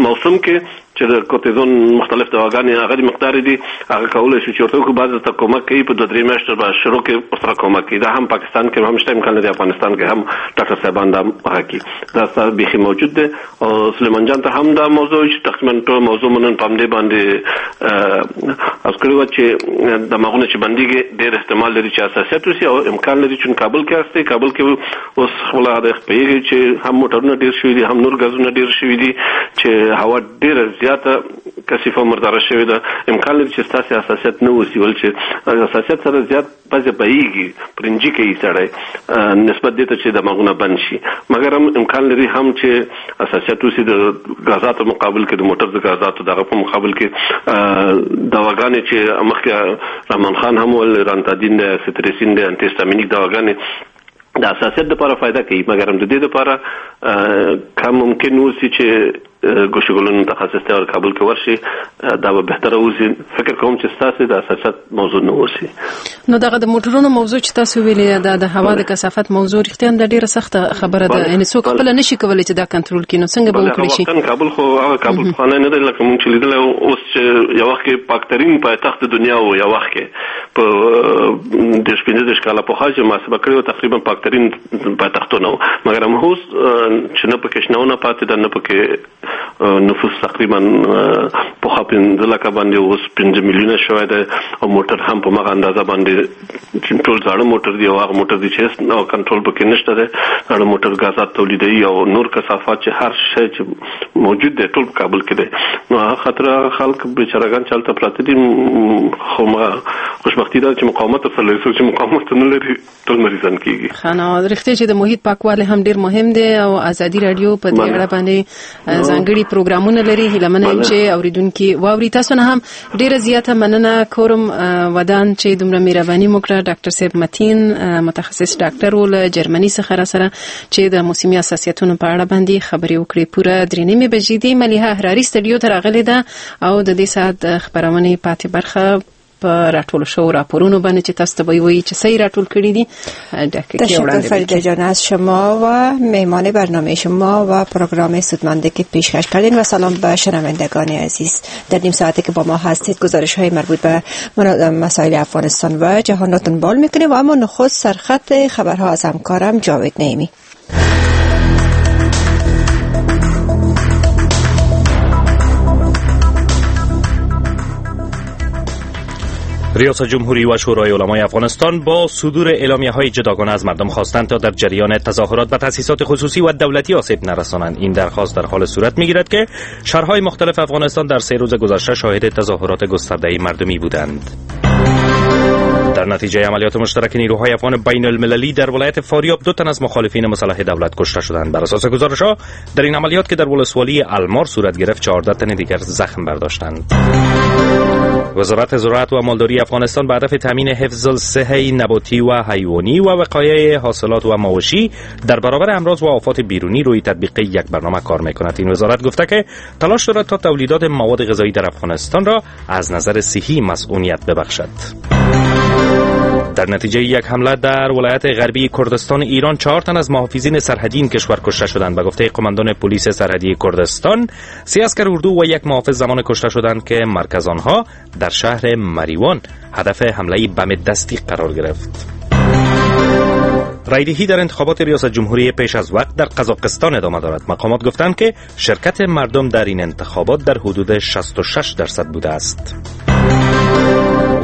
موسم کې چې د کورتیزون مختلف دواګانې هغه د مقدار دي، هغه کولی شو چې ورته وکړو. بعضې ته کومک کوي په 2-3 میاشتو به شروع کې ورسره کومک کوي. دا هم پاکستان کې هم شته، امکان لري افغانستان کې هم ډاکټر صاحبان دا هغه کوي. دا ستا بیخي موجود دی. او سلیمان جان ته هم دا موضوع چې تقریبا ټول موضوع مو نن په همدې باندې عرض کړې وه چې دماغونه چې بندېږي ډېر احتمال لري چې حساسیت وشي، او امکان لري چې کابل کې هستې، کابل کې اوس خپله پوهېږي چې هم موټرونه ډېر شوي دي، هم نور ګازونه ډېر شوي دي، چې هوا ډېره زیاته زیاته کثیفه مرداره شوې ده، امکان لري چې ستاسې حساسیت نه اوسي، ولې چې حساسیت سره زیات پزه بهیږي، پرنجي کوي سړی نسبت دې ته چې دماغونه بند شي. مګر هم امکان لري هم چې حساسیت اوسي د غازاتو مقابل کې، د موټر د غازاتو دغه په مقابل کې دواګانې چې مخکې رحمان خان هم وویل، رانتادین دی، ستریسین دی، انتي هستامینیک دواګانې د حساسیت لپاره فایده کوي، مګر هم د دې لپاره که ممکن اوسي چې ګوشګلون متخصص ته کابل کې ورشي دا به بهتره اوسي. فکر کوم چې ستاسو د حساسیت موضوع نه اوسي. نو دغه د موټرونو موضوع چې تاسو ویلې ده، د هوا د کثافت موضوع رښتیا هم ډیره سخته خبره ده، یعنی څوک خپل نشي کولی چې دا کنټرول کړي، نو څنګه به وکړي شي؟ کابل خو هغه کابل پخوانی نه دی لکه مونږ چې لیدلی اوس، چې یو وخت کې پاکترین پایتخت د دنیا و، یو وخت کې په 30-35 کاله پخوا چې محاسبه کړې وه تقریبا پاکترین پایتختونه و، مګر هم اوس چې نه پکې شنونه پاتې ده، نه پکې نفوس تقریبا پخوا 5 لکه باندې اوس 5 میلیونه شوی دی، او موټر هم په مغه اندازه باندې ټول زاړه موټر دي او هغه موټر دي چې هېڅ کنټرول پکې نشته دی. زاړه موټر ګازات تولیدوي او نور کثافات چې هر شی چې موجود دی ټول په کابل کې دی. نو هغه خاطر هغه خلک بیچارهګان چې هلته پراته دي، خو خوشبختي ده چې مقاومت ورسره لري، څوک چې مقاومت نه لري ټول مریضان کېږي. ښه، نو رښتیا چې د محیط پاکوالی هم ډېر مهم دی او ازادي راډیو په دې اړه باندې ځانګړي پروګرامونه لري. هیله منه یم چې اوریدونکي واوري. تاسو نه هم ډیره زیاته مننه کورم ودان چې دومره مهرباني مو کړه. ډاکټر صاحب متین متخصص ډاکټر و له جرمني څخه را سره چې د موسمي حساسیتونو په اړه باندې خبرې وکړې. پوره 3:30 بجې دي. ملیحه احراري سټډیو ته راغلې ده او د دې ساعت د خپرونې پاتې برخه په راټولو شوو راپورونو باندې چې تاسو ته به وایي چې صحیح راټول کړي دي. تشکر فریده جان از شما و مهمان برنامه شما و پروگرام سودمنده که پیشکش کردین و سلام به شنوندگان عزیز. در نیم ساعتی که با ما هستید گزارش های مربوط به مسائل افغانستان و جهان را دنبال میکنیم و اما نخست سرخط خبرها از همکارم جاوید نعیمی. ریاست جمهوری و شورای علمای افغانستان با صدور اعلامیه‌های جداگانه از مردم خواستند تا در جریان تظاهرات به تأسیسات خصوصی و دولتی آسیب نرسانند. این درخواست در حال صورت می‌گیرد که شهرهای مختلف افغانستان در 3 روز گذشته شاهد تظاهرات گسترده مردمی بودند. در نتیجه عملیات مشترک نیروهای افغان بین المللی در ولایت فاریاب 2 تن از مخالفین مسلح دولت کشته شدند. بر اساس گزارش‌ها در این عملیات که در ولسوالی المار صورت گرفت 14 تن دیگر زخم برداشتند. وزارت زراعت و مالداری افغانستان به هدف تامین حفظ الصحه نباتی و حیوانی و وقایع حاصلات و مواشی در برابر امراض و آفات بیرونی روی تطبیق یک برنامه کار میکند. این وزارت گفته که تلاش دارد تا تولیدات مواد غذایی در افغانستان را از نظر صحی مسئولیت ببخشد. در نتیجه یک حمله در ولایت غربی کردستان ایران 4 تن از محافظین سرحدی این کشور کشته شدند. به گفته قماندان پلیس سرحدی کردستان 3 عسکر اردو و یک محافظ زمان کشته شدند که مرکز آنها در شهر مریوان هدف حمله بم دستی قرار گرفت. رایدهی در انتخابات ریاست جمهوری پیش از وقت در قزاقستان ادامه دارد. مقامات گفتند که شرکت مردم در این انتخابات در حدود 66% بوده است.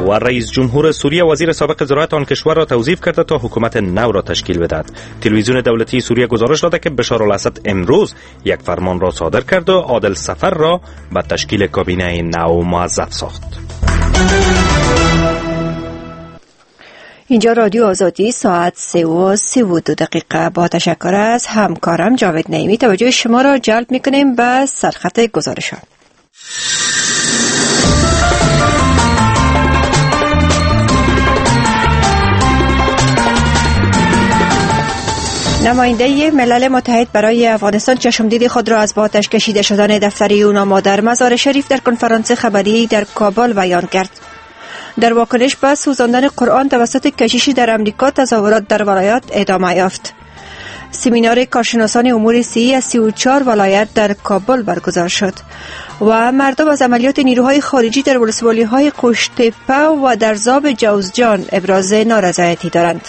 و رئیس جمهور سوریه وزیر سابق زراعت آن کشور را توظیف کرده تا حکومت نو را تشکیل بدهد. تلویزیون دولتی سوریه گزارش داده که بشار الاسد امروز یک فرمان را صادر کرد و عادل سفر را به تشکیل کابینه نو موظف ساخت. اینجا رادیو آزادی، ساعت 3:32. با تشکر از همکارم جاوید نعیمی توجه شما را جلب میکنیم به سرخط گزارش ها. نماینده ملل متحد برای افغانستان چشمدید خود را از با آتش کشیده شدن دفتر یوناما در مزار شریف در کنفرانس خبری در کابل بیان کرد. در واکنش به سوزاندن قرآن توسط کشیشی در امریکا تظاهرات در ولایات ادامه یافت. سمینار کارشناسان امور صحی از 34 ولایت در کابل برگزار شد و مردم از عملیات نیروهای خارجی در ولسوالی‌های قوشتپه و در زاب جوزجان ابراز نارضایتی دارند.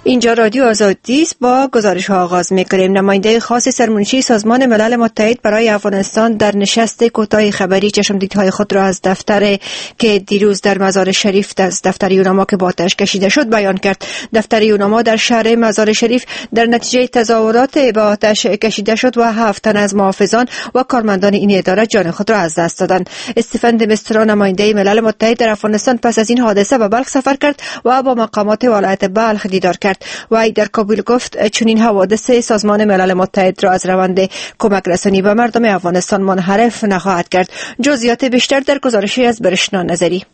اینجا رادیو آزادی است. با گزارش ها آغاز میکنیم. نماینده خاص سرمنشی سازمان ملل متحد برای افغانستان در نشست کوتاه خبری چشمدیدهای خود را از دفتر که دیروز در مزار شریف از دفتر یوناما که با آتش کشیده شد بیان کرد. دفتر یوناما در شهر مزار شریف در نتیجه تظاهرات به آتش کشیده شد و 7 تن از محافظان و کارمندان این اداره جان خود را از دست دادند. استفن دمسترا نماینده ملل متحد در افغانستان پس از این حادثه به بلخ سفر کرد و با مقامات ولایت بلخ دیدار کرد. و در کابل گفت چنین حوادث سازمان ملل متحد را از روند کمک رسانی به مردم افغانستان منحرف نخواهد کرد. جزئیات بیشتر در گزارشی از برشنا نظری.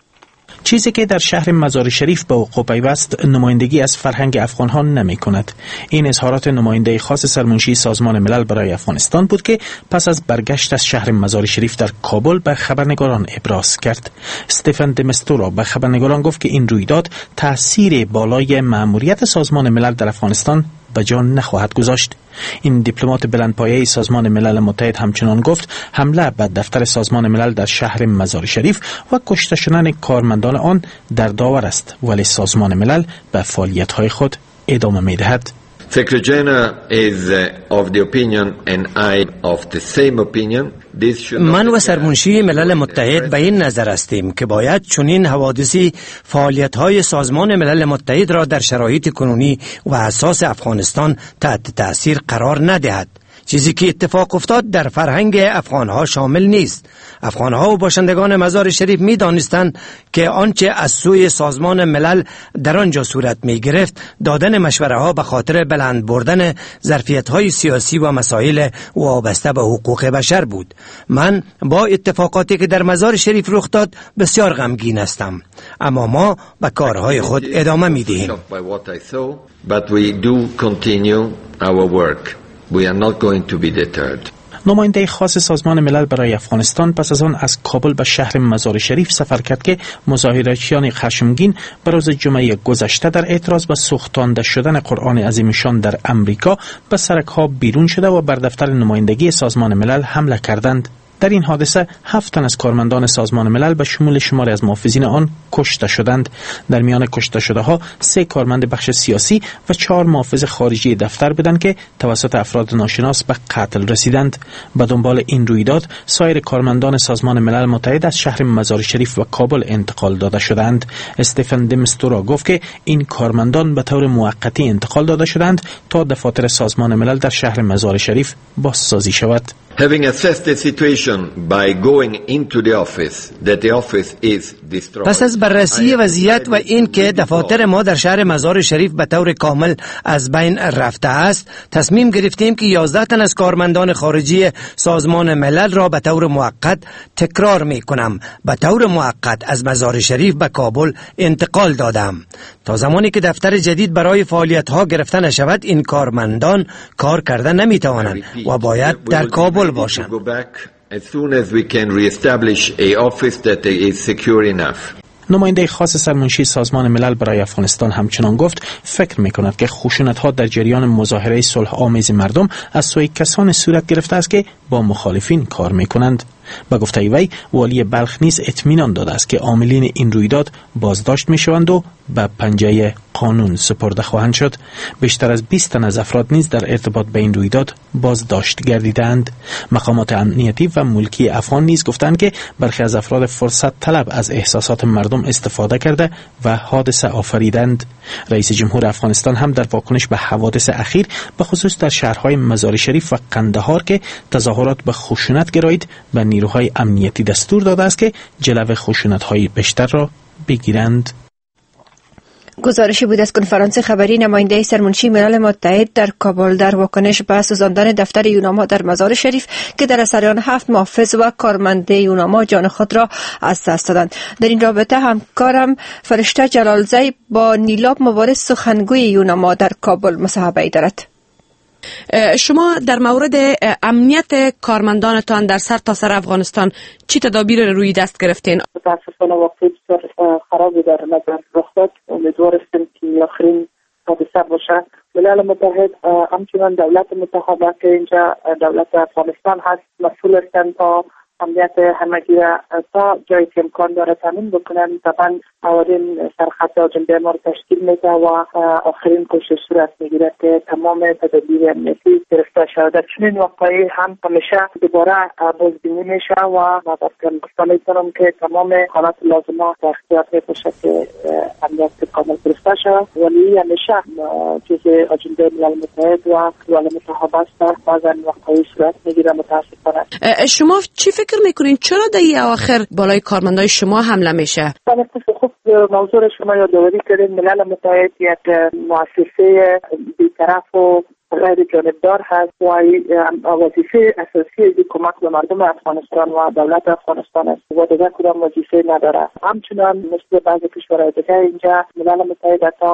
چیزی که در شهر مزار شریف به وقوع پیوست نمایندگی از فرهنگ افغانها نمی کند. این اظهارات نماینده خاص سرمنشی سازمان ملل برای افغانستان بود که پس از برگشت از شهر مزار شریف در کابل به خبرنگاران ابراز کرد. استفن دمستورا به خبرنگاران گفت که این رویداد تاثیر بالای مأموریت سازمان ملل در افغانستان به جان نخواهد گذاشت. این دیپلمات بلندپایه سازمان ملل متحد همچنان گفت حمله به دفتر سازمان ملل در شهر مزار شریف و کشته شدن کارمندان آن در داور است، ولی سازمان ملل به فعالیت‌های خود ادامه می‌دهد. Secretary General is of the opinion and I of the same opinion. من و سرمنشی ملل متحد به این نظر هستیم که باید چنین حوادثی فعالیت‌های سازمان ملل متحد را در شرایط کنونی و اساس افغانستان تحت تأثیر قرار ندهد. چیزی که اتفاق افتاد در فرهنگ افغانها شامل نیست. افغانها و باشندگان مزار شریف می دانستند که آنچه از سوی سازمان ملل در آنجا صورت می گرفت دادن مشوره ها به خاطر بلند بردن ظرفیت های سیاسی و مسائل وابسته به حقوق بشر بود. من با اتفاقاتی که در مزار شریف رخ داد بسیار غمگین هستم، اما ما به کارهای خود ادامه می دهیم. But we do continue our work. We are not going to be deterred. نماینده خاص سازمان ملل برای افغانستان پس از آن از کابل به شهر مزار شریف سفر کرد که مظاهره‌چیان خشمگین به روز جمعه گذشته در اعتراض به سوختانده شدن قرآن عظیمشان در امریکا به سرک‌ها بیرون شده و بر دفتر نمایندگی سازمان ملل حمله کردند. در این حادثه 7 تن از کارمندان سازمان ملل به شمول شماری از محافظین آن کشته شدند. در میان کشته شده ها 3 کارمند بخش سیاسی و 4 محافظ خارجی دفتر بودند که توسط افراد ناشناس به قتل رسیدند. به دنبال این رویداد سایر کارمندان سازمان ملل متحد از شهر مزار شریف و کابل انتقال داده شدند. استفن دمستورا گفت که این کارمندان به طور موقتی انتقال داده شدند تا دفاتر سازمان ملل در شهر مزار شریف بازسازی شود. Having assessed the situation by going into the office, that the office is destroyed. پس از بررسی وضعیت و این که دفاتر ما در شهر مزار شریف به طور کامل از بین رفته است، تصمیم گرفتیم که 11 تن از کارمندان خارجی سازمان ملل را به طور موقت، تکرار می کنم، به طور موقت از مزار شریف به کابل انتقال دادم. تا زمانی که دفتر جدید برای فعالیت ها گرفته نشود، این کارمندان کار کرده نمی توانند و باید در کابل باشند. As soon as we can reestablish a office that is secure enough. نماینده خاص سرمنشی سازمان ملل برای افغانستان همچنان گفت فکر می کند که خشونت ها در جریان مظاهره صلح آمیز مردم از سوی کسان صورت گرفته است که با مخالفین کار می کنند. به گفته وی والی بلخ نیز اطمینان داده است که عاملین این رویداد بازداشت می شوند و به پنجه قانون سپرده خواهند شد. بیشتر از 20 تن از افراد نیز در ارتباط به این رویداد بازداشت گردیدند. مقامات امنیتی و ملکی افغان نیز گفتند که برخی از افراد فرصت طلب از احساسات مردم استفاده کرده و حادثه آفریدند. رئیس جمهور افغانستان هم در واکنش به حوادث اخیر به خصوص در شهرهای مزار شریف و قندهار که تظاهرات به خشونت گرایید به نیروهای امنیتی دستور داده است که جلو خشونت‌های بیشتر را بگیرند. گزارشی بود از کنفرانس خبری نماینده سرمنشی ملل متحد در کابل در واکنش به سوزاندن دفتر یوناما در مزار شریف که در اثر آن 7 محافظ و کارمند یوناما جان خود را از دست دادند. در این رابطه همکارم فرشته جلالزی با نیلاب مبارز سخنگوی یوناما در کابل مصاحبه دارد. شما در مورد امنیت کارمندانتان در سرتاسر افغانستان چی تدابیر روی دست گرفتین؟ متاسفانه واقعی بسیار خرابی در نظر رخ داد. امیدوار هستیم که آخرین حادثه باشه. ملل متحد همچنان دولت متحده که اینجا دولت افغانستان هست مسئول هستند تا امنیت همگی را تا جایی که امکان داره تامین بکنن. طبعا اولین سرخط آجنده ما رو تشکیل میده و آخرین کوشش صورت میگیره که تمام تدابیر امنیتی گرفته شود. در چنین واقعی هم همیشه دوباره بازبینی میشه و ما گفته میتونم که تمام حالات لازمه در اختیار میباشه که امنیت کامل گرفته شود، ولی همیشه جزء آجنده ملل متحد و دول متحد است. بعضا واقعی صورت میگیره متاسفانه. شما چی فکر میکنین چرا در این اواخر بالای کارمندای شما حمله میشه؟ بله، خوب موضوع شما یادآوری کردین. ملل متحد یک مؤسسه بی‌طرف و غیر جانبدار هست و وظیفه اساسی کمک به مردم افغانستان و دولت افغانستان است و دیگر کدام وظیفه نداره. همچنان مثل بعضی کشورهای دیگر اینجا ملل متحد حتی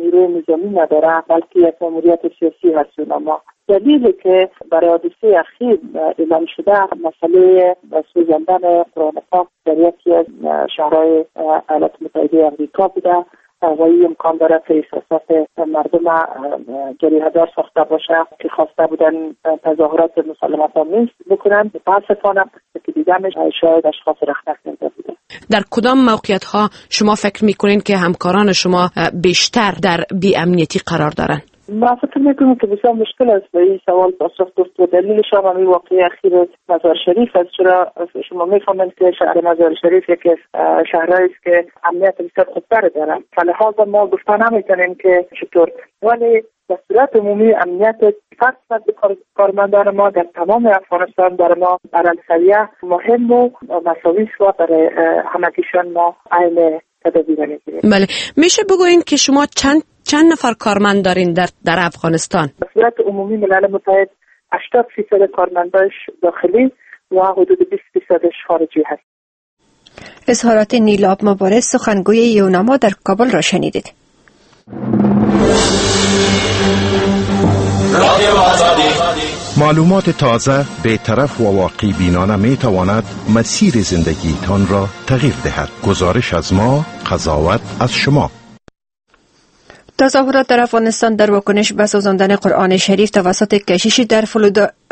نیروی نظامی نداره، بلکه یک ماموریت سیاسی هست. اما دلیلی که برای حادثه اخیر اعلام شده مسئله سوزاندن قرآن پاک در یکی از شهرهای ایالات متحده آمریکا بوده و این امکان داره که احساسات مردم جریحه‌دار ساخته باشه که خواسته بودن تظاهرات مسالمت آمیز بکنن. متاسفانه که دیدم شاید اشخاص رخنه کرده بوده. در کدام موقعیت ها شما فکر میکنین که همکاران شما بیشتر در بی امنیتی قرار دارن؟ ما فکر میکنم که بسیار مشکل است به این سوال پاسخ گفت و دلیلش هم همین واقعه اخیر مزار شریف است. چرا شما میفهمید که شهر مزار شریف یکی از شهرهایی است که امنیت بسیار خوبتر داره، فلهذا ما گفته نمیتونیم که چطور، ولی به صورت عمومی امنیت فرد کارمندان ما در تمام افغانستان برای ما برای مهم و مساوی است و برای همگیشان ما عین تدابیر میگیریم. بله، میشه بگویین که شما چند نفر کارمند دارین در افغانستان؟ به صورت عمومی ملل متحد 80% کارمنداش داخلی و حدود 20% خارجی هست. اظهارات نیلاب مبارز سخنگوی یوناما در کابل را شنیدید. معلومات تازه، بی‌طرف و واقع بینانه می تواند مسیر زندگیتان را تغییر دهد. گزارش از ما، قضاوت از شما. تظاهرات در افغانستان در واکنش به سوزاندن قرآن شریف توسط کشیشی در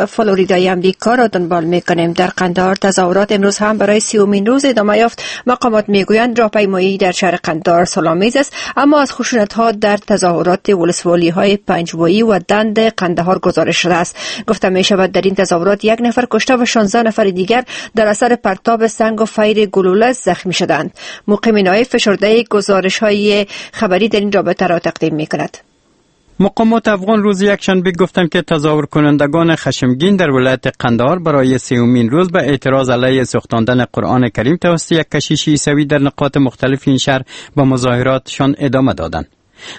فلوریدای امریکا را دنبال می‌کنیم. در قندهار تظاهرات امروز هم برای 30مین روز ادامه یافت. مقامات میگویند راهپیمایی در شهر قندهار صلح‌آمیز است، اما از خشونت‌ها در تظاهرات ولسوالی‌های پنجوایی و دند قندهار گزارش شده است. گفته می‌شود در این تظاهرات 1 نفر کشته و 16 نفر دیگر در اثر پرتاب سنگ و فیر گلوله زخمی شدند. مقیم نایب فشرده گزارش‌های خبری در این رابطه را تقدیم می‌کند. مقامات افغان روز یکشنبه گفتند که تظاهر کنندگان خشمگین در ولایت قندهار برای 30مین روز به اعتراض علیه سوختاندن قرآن کریم توسط یک کشیش عیسوی در نقاط مختلف این شهر به مظاهراتشان ادامه دادند.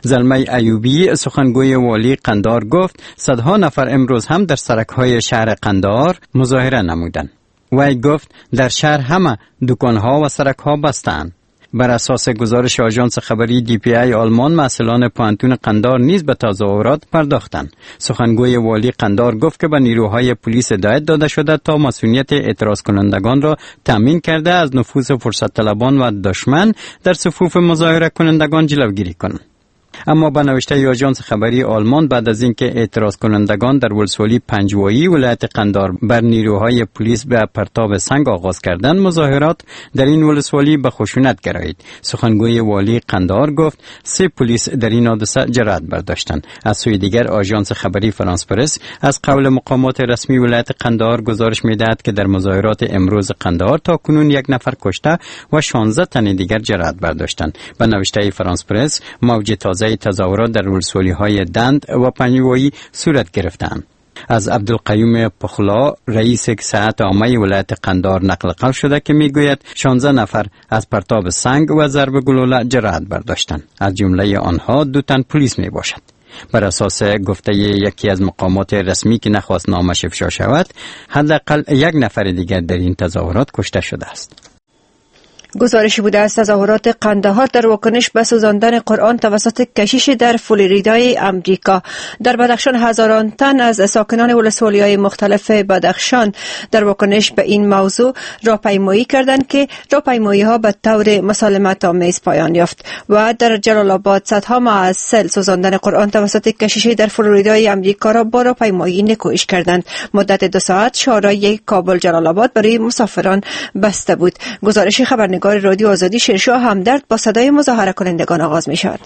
زلمی ایوبی سخنگوی والی قندهار گفت صدها نفر امروز هم در سرک‌های شهر قندهار مظاهره نمودند. وی گفت در شهر همه دکانها و سرک‌ها بستند. بر اساس گزارش آژانس خبری دی پی ای آلمان، مسئولان پوهنتون قندهار نیز به تظاهرات پرداختند. سخنگوی والی قندهار گفت که به نیروهای پلیس هدایت داده شده تا مسئولیت اعتراض کنندگان را تامین کرده از نفوذ فرصت طلبان و دشمن در صفوف مظاهره کنندگان جلوگیری کنند. اما به نوشته آژانس خبری آلمان، بعد از اینکه اعتراض کنندگان در ولسوالی پنجوایی ولایت قندهار بر نیروهای پلیس به پرتاب سنگ آغاز کردند، مظاهرات در این ولسوالی به خشونت گرایید. سخنگوی والی قندهار گفت 3 پلیس در این حادثه جرأت برداشتند. از سوی دیگر آژانس خبری فرانس پرس از قول مقامات رسمی ولایت قندهار گزارش می‌دهد که در مظاهرات امروز قندهار تا کنون 1 نفر کشته و 16 تن دیگر جرأت برداشتند. به نوشته فرانس پرس، موج تازه تظاهرات در ولسوالی‌های دند و پنجوایی صورت گرفتند. از عبدالقیوم پخلا رئیس صحت عامه ولایت قندهار نقل قول شده که میگوید 16 نفر از پرتاب سنگ و ضرب گلوله جراحت برداشتند. از جمله آنها 2 تن پلیس می باشد. بر اساس گفته یکی از مقامات رسمی که نخواست نامش افشا شود، حداقل 1 نفر دیگر در این تظاهرات کشته شده است. گزارشی بوده از تظاهرات قندهار در واکنش به سوزاندن قرآن توسط کشیش در فلوریدای امریکا. در بدخشان هزاران تن از ساکنان ولسوالی‌های مختلف بدخشان در واکنش به این موضوع راهپیمایی کردند که راهپیمایی‌ها به طور مسالمت آمیز پایان یافت. و در جلال آباد صدها محصل سوزاندن قرآن توسط کشیش در فلوریدای امریکا را با راهپیمایی نکوهش کردند. مدت 2 ساعت شاهراه کابل جلال آباد برای مسافران بسته بود. گزارش خبرنگار رادیو آزادی شیرشاه همدرد با صدای مظاهره کنندگان آغاز می شود.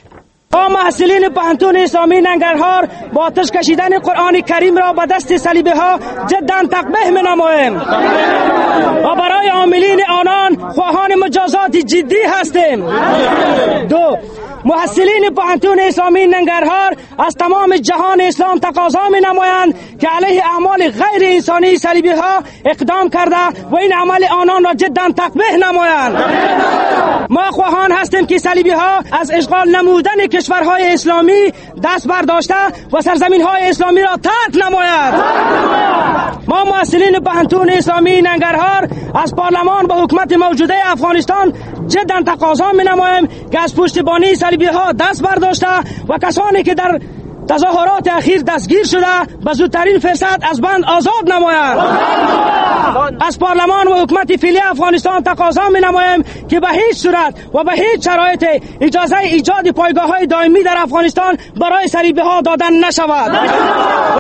ما محصلین پوهنتون اسلامی ننگرهار با آتش کشیدن قرآن کریم را به دست صلیبی ها جدا تقبیح می نماییم و برای عاملین آنان خواهان مجازات جدی هستیم. 2. محصلین پوهنتون اسلامی ننگرهار از تمام جهان اسلام تقاضا می نمایند که علیه اعمال غیر انسانی صلیبی ها اقدام کرده و این عمل آنان را جدا تقبیح نمایند. ما خواهان هستیم که صلیبی ها از اشغال نمودن کشورهای اسلامی دست برداشته و سرزمین های اسلامی را ترک نمایند. ما محصلین پوهنتون اسلامی ننگرهار از پارلمان و حکومت موجوده افغانستان جدا تقاضا می نماییم که از پشتیبانی صلیبی ها دست برداشته و کسانی که در تظاهرات اخیر دستگیر شده به زودترین فرصت از بند آزاد نمایند. از پارلمان و حکومت فعلی افغانستان تقاضا می نماییم که به هیچ صورت و به هیچ شرایط اجازه ایجاد پایگاه های دائمی در افغانستان برای صلیبی ها دادن نشود.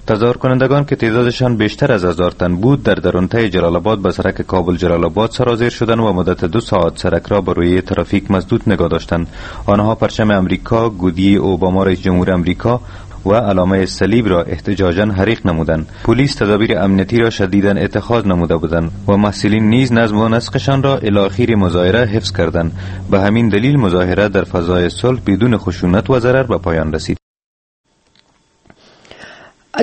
تظاهر کنندگان که تعدادشان بیشتر از 1000 تن بود در درونته جلال آباد به سرک کابل جلال آباد سرازیر شدند و مدت 2 ساعت سرک را بر روی ترافیک مسدود نگاه داشتند. آنها پرچم امریکا، گودی اوباما رئیس جمهور امریکا و علامه صلیب را احتجاجاً حریق نمودند. پلیس تدابیر امنیتی را شدیداً اتخاذ نموده بودند و محصلین نیز نظم و نسقشان را الی آخر مظاهره حفظ کردند. به همین دلیل مظاهره در فضای صلح بدون خشونت و ضرر به پایان رسید.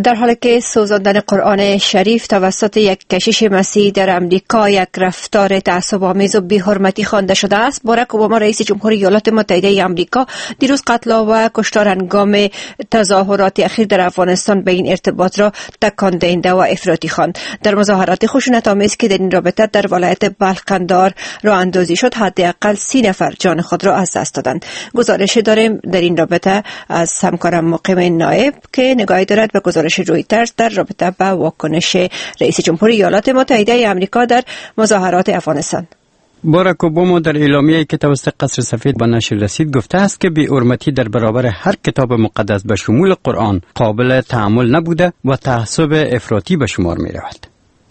در حالی که سوزاندن قرآن شریف توسط یک کشیش مسیحی در امریکا یک رفتار تعصب‌آمیز و بی‌حرمتی خوانده شده است، باراک اوباما رئیس جمهور ایالات متحده آمریکا دیروز قتل و کشتار هنگام تظاهرات اخیر در افغانستان به این ارتباط را تکان دهنده و افراطی خواند. در مظاهرات خشونت‌آمیز که در این رابطه در ولایت بلخ قندهار راه اندازی شد، حداقل 30 نفر جان خود را از دست دادند. گزارش داریم در این رابطه از همکارم مقیم نایب که نگاهی دارد به گزارش رویترز در رابطه با واکنش رئیس جمهور ایالات متحده آمریکا در مظاهرات افغانستان. باراک اوباما در اعلامیه‌ای که توسط قصر سفید به نشر رسید گفته است که بی‌حرمتی در برابر هر کتاب مقدس به شمول قرآن قابل تحمل نبوده و تعصب افراطی به شمار می‌رود.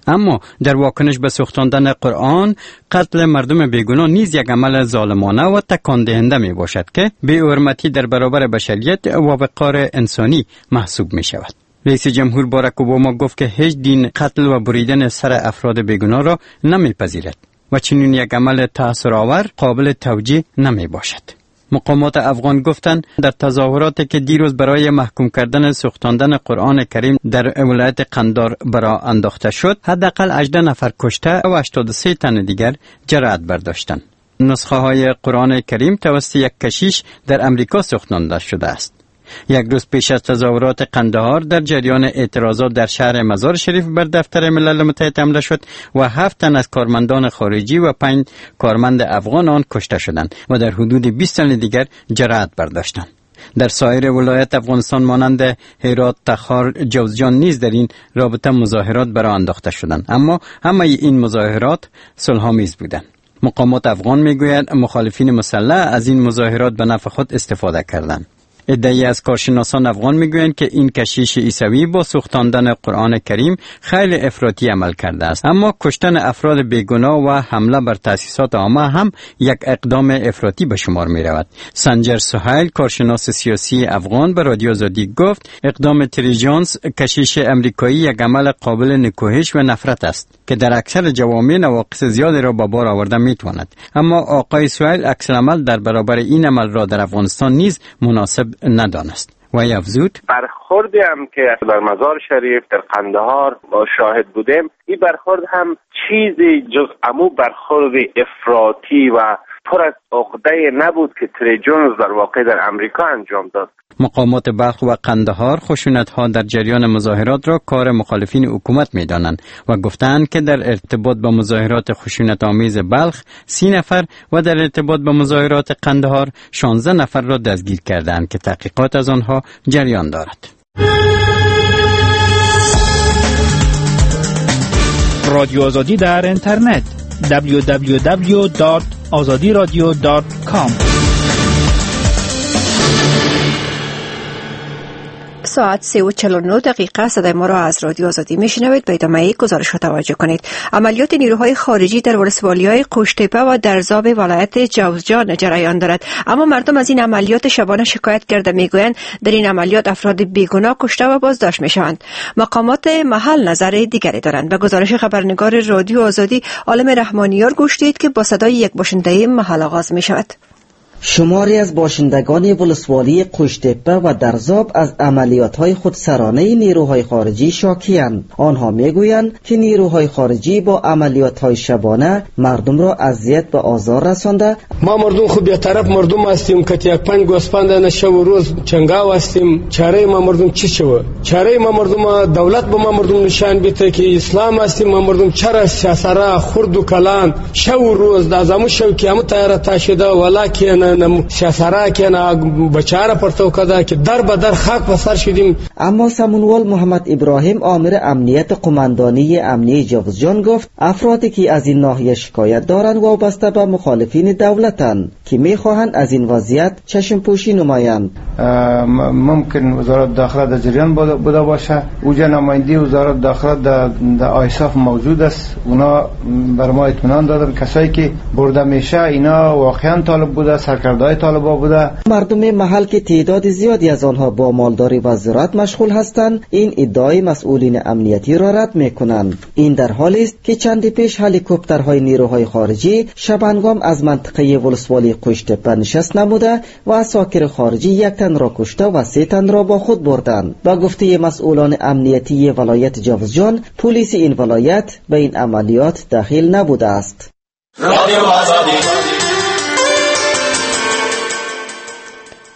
اما در واکنش به سوختاندن قرآن، قتل مردم بیگناه نیز یک عمل ظالمانه و تکان دهنده می باشد که بی‌حرمتی در برابر بشریت و وقار انسانی محسوب می شود. رئیس جمهور باراک اوباما گفت که هیچ دین قتل و بریدن سر افراد بیگناه را نمیپذیرد و چنین یک عمل تأثرآور قابل توجیه نمی باشد. مقامات افغان گفتند در تظاهراتی که دیروز برای محکوم کردن سوختاندن قرآن کریم در ولایت قندهار برا انداخته شد، حداقل 18 نفر کشته و 83 تن دیگر جراحت برداشتند. نسخه های قرآن کریم توسط یک کشیش در امریکا سوختانده شده است. یک روز پیش از تظاهرات قندهار در جریان اعتراضات در شهر مزار شریف بر دفتر ملل متحد حمله شد و 7 تن از کارمندان خارجی و 5 کارمند افغان آن کشته شدند و در حدود 20 تن دیگر جراحت برداشتند. در سایر ولایت افغانستان مانند هرات، تخار، جوزجان نیز در این رابطه مظاهرات برای انداخته شدند، اما همه این مظاهرات صلح‌آمیز بودند. مقامات افغان میگویند مخالفین مسلح از این مظاهرات به نفع خود استفاده کردند. عده‌ای از کارشناسان افغان میگویند که این کشیش عیسوی با سوختاندن قرآن کریم خیلی افراطی عمل کرده است، اما کشتن افراد بیگناه و حمله بر تأسیسات عامه هم یک اقدام افراطی به شمار می رود. سنجر سهیل، کارشناس سیاسی افغان، به رادیو آزادی گفت اقدام تری جونز کشیش امریکایی یک عمل قابل نکوهش و نفرت است که در اکثر جوامع نواقص زیادی را به بار آورده میتواند، اما آقای سهیل عکس العمل در برابر این عمل را در افغانستان نیز مناسب ندانست و افزود برخوردی هم که در مزار شریف در قندهار ما شاهد بودیم، این برخورد هم چیزی جز امو برخورد افراطی و پر از عقده نبود که تری جونز در واقع در امریکا انجام داد. مقامات بلخ و قندهار خشونت‌ها در جریان مظاهرات را کار مخالفین حکومت می‌دانند و گفتند که در ارتباط با مظاهرات خشونت‌آمیز بلخ 30 نفر و در ارتباط با مظاهرات قندهار 16 نفر را دستگیر کردند که تحقیقات از آنها جریان دارد. رادیو آزادی در اینترنت www.azadiradio.com. ساعت 3:49 صدای ما را از رادیو آزادی میشنوید. به ادامه گزارش ها توجه کنید. عملیات نیروهای خارجی در ولسوالی‌های قوشتپه و درزاب ولایت جوزجان جریان دارد، اما مردم از این عملیات شبانه شکایت کرده میگویند در این عملیات افراد بیگناه کشته و بازداشت میشوند. مقامات محل نظر دیگری دارند. به گزارش خبرنگار رادیو آزادی عالم رحمانیار گوش دهید که با صدای یک باشنده محل آغاز میشود. شماری از باشندگان ولسوالی قوشتپه و درزاب از عملیات‌های خودسرانه نیروهای خارجی شاکی‌اند. آنها میگویند که نیروهای خارجی با عملیات‌های شبانه مردم را اذیت و آزار رسانده. ما مردم خوب بی‌طرف مردم هستیم که یک پنج گوسفند نه شب و روز چنگاو هستیم. چاره ما مردم چی شوه؟ چاره ما مردم دولت به ما مردم نشان بیته که اسلام هستیم. ما مردم چرا سیاسرا خرد و کلان شب و روز د زمو شو که هم تیار تا شده ولکه اما سمونوال محمد ابراهیم آمر امنیت قماندانی امنی جوزجان گفت افرادی که از این ناحیه شکایت دارند وابسته به مخالفین دولتند که میخواهند از این وضعیت چشم پوشی نمایند. ممکن وزارت داخله در جریان بوده باشه. اوجا نماینده وزارت داخله در آیساف موجود است. اونا بر ما اطمینان دادن کسایی که برده میشه اینا واقعا طالب بوده، سرکرده‌های طالبا بوده. مردم محل که تعداد زیادی از آنها با مالداری و زراعت مشغول هستند این ادعای مسئولین امنیتی را رد میکنند. این در حالی است که چندی پیش هلیکوپترهای نیروهای خارجی شبانگام از منطقه ولسوالی قوشتپه نشست نموده و عساکر خارجی یک تن را کشته و 3 تن را با خود بردند. با گفته مسئولان امنیتی ولایت جوزجان پلیس این ولایت به این عملیات دخیل نبوده است.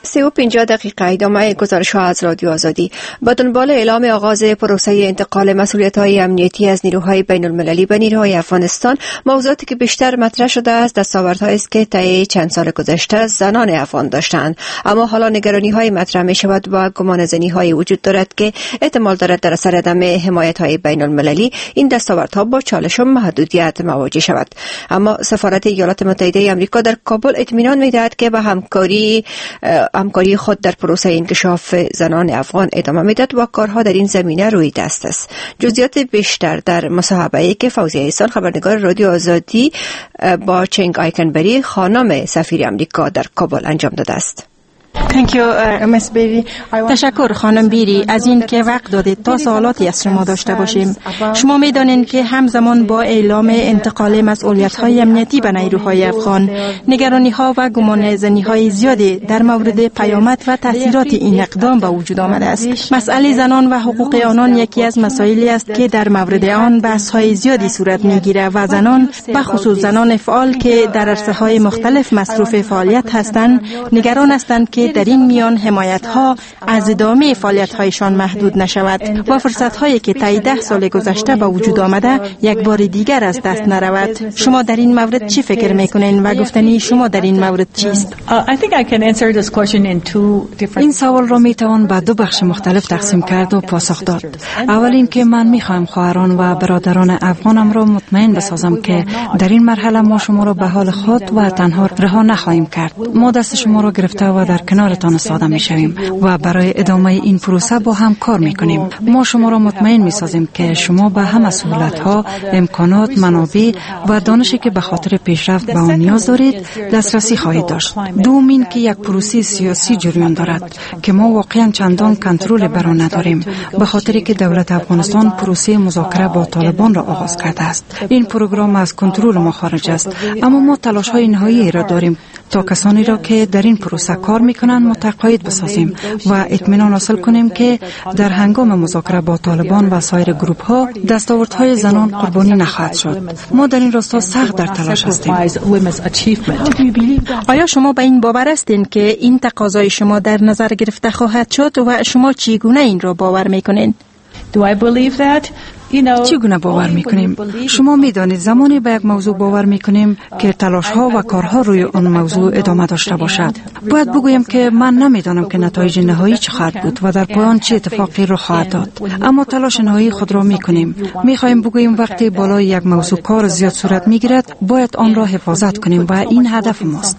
3:50 ادامه گزارش ها از رادیو آزادی. با دنبال اعلام آغاز پروسه انتقال مسئولیت های امنیتی از نیروهای بین المللی به نیروهای افغانستان، موضوعاتی که بیشتر مطرح شده است دستاوردهایی است که طی چند سال گذشته زنان افغان داشتند، اما حالا نگرانی های مطرح می شود و گمان زنی های وجود دارد که احتمال دارد در اثر عدم حمایت های بین المللی این دستاوردها با چالش و محدودیت مواجه شود. اما سفارت ایالات متحده آمریکا در کابل اطمینان می دهد که به همکاری خود در پروسه انکشاف زنان افغان ادامه میداد و کارها در این زمینه روی دست است. جزئیات بیشتر در مصاحبه‌ای که فوزیه احسان خبرنگار رادیو آزادی با چنگ آیکنبری خانم سفیر آمریکا در کابل انجام داده است. تشکر خانم بیری از این که وقت دادید تا سوالاتی از شما داشته باشیم. شما میدانید که همزمان با اعلام انتقال مسئولیت‌های امنیتی به نیروهای افغان، نگرانی‌ها و گمانه‌زنی‌های زیادی در مورد پیامد و تاثیرات این اقدام به وجود آمده است. مسئله زنان و حقوق آنان یکی از مسائلی است که در مورد آن بحث‌های زیادی صورت می‌گیرد و زنان، به خصوص زنان فعال که در عرصه‌های مختلف مصروف فعالیت هستند، نگران هستند که در این میان حمایت‌ها از ادامه فعالیت‌هایشان محدود نشود و فرصت‌هایی که طی 10 سال گذشته به وجود آمده یک بار دیگر از دست نرود. شما در این مورد چی فکر می‌کنین و گفتنی شما در این مورد چیست؟ این سوال را می‌توان به دو بخش مختلف تقسیم کرد و پاسخ داد. اول اینکه من می‌خواهم خواهران و برادران افغانم را مطمئن بسازم که در این مرحله ما شما را به حال خود و تنها رها نخواهیم کرد. ما دست شما را گرفته و در کنارتان ایستاده می‌شویم و برای ادامه این پروسه با هم کار می‌کنیم. ما شما را مطمئن می‌سازیم که شما به همه سهولت‌ها، امکانات، منابع و دانشی که به خاطر پیشرفت به آن نیاز دارید دسترسی خواهید داشت. دوم این که یک پروسه سیاسی جریان دارد که ما واقعا چندان کنترل بر آن نداریم، به خاطر که دولت افغانستان پروسه مذاکره با طالبان را آغاز کرده است. این پروگرام از کنترل ما خارج است، اما ما تلاش‌های نهایی را داریم تا کسانی را که در این پروسه کار میکنند متقاعد بسازیم و اطمینان حاصل کنیم که در هنگام مذاکره با طالبان و سایر گروپ ها دستاوردهای زنان قربانی نخواهد شد. ما در این راستا سخت در تلاش هستیم. آیا شما به این باور هستین که این تقاضای شما در نظر گرفته خواهد شد و شما چگونه این را باور میکنین؟ چگونه باور میکنیم؟ شما میدانید زمانی به یک موضوع باور میکنیم که تلاش ها و کارها روی آن موضوع ادامه داشته باشد. باید بگویم که من نمیدانم که نتایج نهایی چه خواهد بود و در پایان چه اتفاقی رخ خواهد داد، اما تلاش نهایی خود را میکنیم. میخواهیم بگوییم وقتی بالای یک موضوع کار زیاد صورت میگیرد باید آن را حفاظت کنیم و این هدف ماست.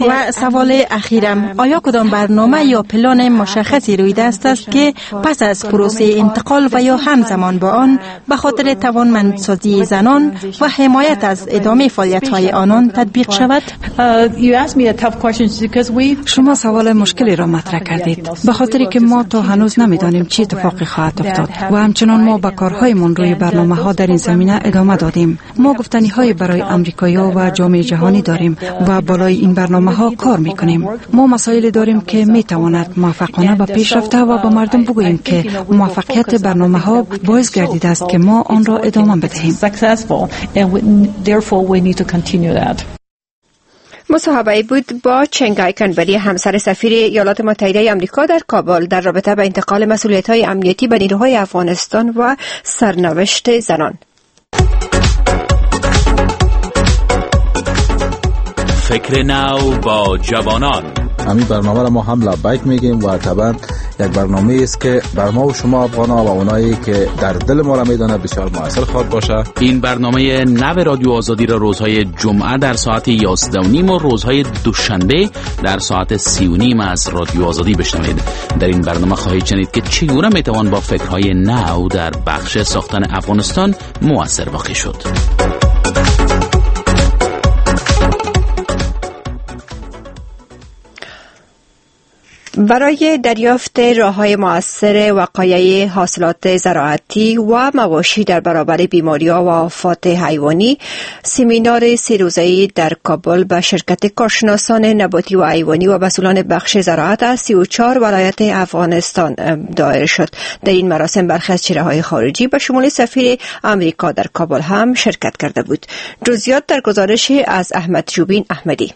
و سوال اخیرم، آیا کدام برنامه یا پلان مشخصی روی دست است که پس از پروسه انتقال و یا همزمان با آن به خاطر توانمندسازی زنان و حمایت از ادامه فعالیت‌های آنان تطبیق شود؟ شما سوال مشکلی را مطرح کردید، به خاطر که ما تا هنوز نمی‌دانیم چه اتفاقی خواهد افتاد و همچنان ما به کارهایمان روی برنامه‌ها در این زمینه ادامه دادیم. ما گفتنی‌های برای آمریکایی‌ها و جامعه جهانی داریم و بالای این برنامه‌ها کار می‌کنیم. ما مسائل داریم که می تواند موفقانه به پیش رفته و به مردم بگوییم که موفقیت برنامه ها باعث گردیده است که ما آن را ادامه بدهیم. مصاحبه بود با چنگای کنبری، همسر سفیر ایالات متحده آمریکا در کابل، در رابطه با انتقال مسئولیت‌های امنیتی به نیروهای افغانستان و سرنوشت زنان. فکر نو با جوانان. همین برنامه را ما هم لبیک میگیم و طبعا یک برنامه است که بر ما و شما افغان‌ها و اونایی که در دل ما را میدانه بسیار موثر خواهد باشه. این برنامه نو رادیو آزادی را روزهای جمعه در ساعت 11:30 و روزهای دوشنبه در ساعت 3:30 از رادیو آزادی بشنوید. در این برنامه خواهید شنید که چگونه میتوان با فکرهای نو در بخش ساختن افغانستان موثر واقع شد. برای دریافت راه‌های مؤثر وقایع حاصلات زراعتی و مواشی در برابر بیماری‌ها و آفات حیوانی، سمینار 3 روزه‌ای در کابل به شرکت کارشناسان نباتی و حیوانی و مسئولان بخش زراعت از 34 ولایت افغانستان دایر شد. در این مراسم برخی از چهره‌های خارجی به شمول سفیر آمریکا در کابل هم شرکت کرده بود. جزئیات در گزارش از احمد جوبین احمدی.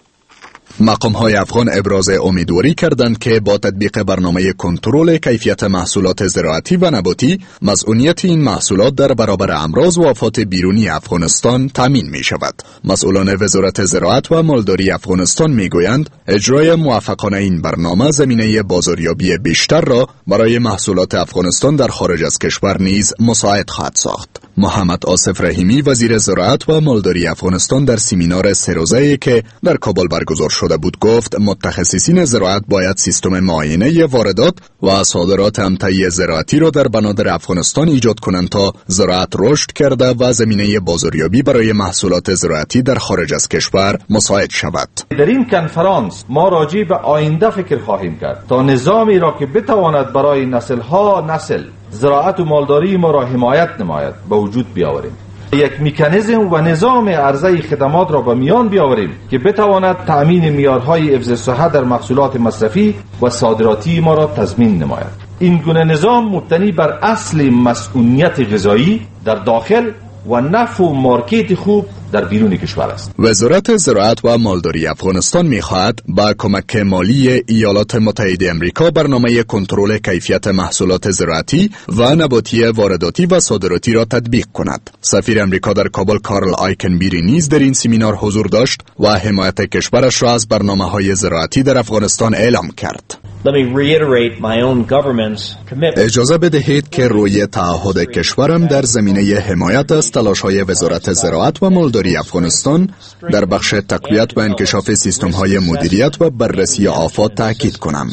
مقام‌های افغان ابراز امیدواری کردند که با تطبیق برنامه کنترل کیفیت محصولات زراعتی و نباتی، مسئولیت این محصولات در برابر امراض و آفات بیرونی افغانستان تامین می شود. مسئولان وزارت زراعت و مالداری افغانستان می گویند اجرای موفقانه این برنامه زمینه بازاریابی بیشتر را برای محصولات افغانستان در خارج از کشور نیز مساعد خواهد ساخت. محمد آصف رحیمی، وزیر زراعت و مالداری افغانستان، در سمینار 3 روزه‌ای که در کابل برگزار شده بود گفت متخصصین زراعت باید سیستم معاینه واردات و صادرات امتعه زراعتی را در بنادر افغانستان ایجاد کنند تا زراعت رشد کرده و زمینه بازاریابی برای محصولات زراعتی در خارج از کشور مساعد شود. در این کنفرانس ما راجع به آینده فکر خواهیم کرد تا نظامی را که بتواند برای نسل‌ها نسل زراعت و مالداری ما را حمایت نماید به وجود بیاوریم. یک مکانیزم و نظام عرضه خدمات را به میان بیاوریم که بتواند تأمین معیارهای حفظ صحت در محصولات مصرفی و صادراتی ما را تضمین نماید. این گونه نظام مبتنی بر اصل مسئولیت غذایی در داخل و نفع و مارکت خوب در بیرون کشور است. وزارت زراعت و مالداری افغانستان می‌خواهد با کمک مالی ایالات متحده امریکا برنامه کنترل کیفیت محصولات زراعتی و نباتی وارداتی و صادراتی را تطبیق کند. سفیر امریکا در کابل کارل آیکنبیری نیز در این سمینار حضور داشت و حمایت کشورش را از برنامه‌های زراعتی در افغانستان اعلام کرد. اجازه بدهید که روی تعهد کشورم در زمینه حمایت از تلاش‌های وزارت زراعت و مالداری افغانستان در بخش تقویت و انکشاف سیستم‌های مدیریت و بررسی آفات تاکید کنم.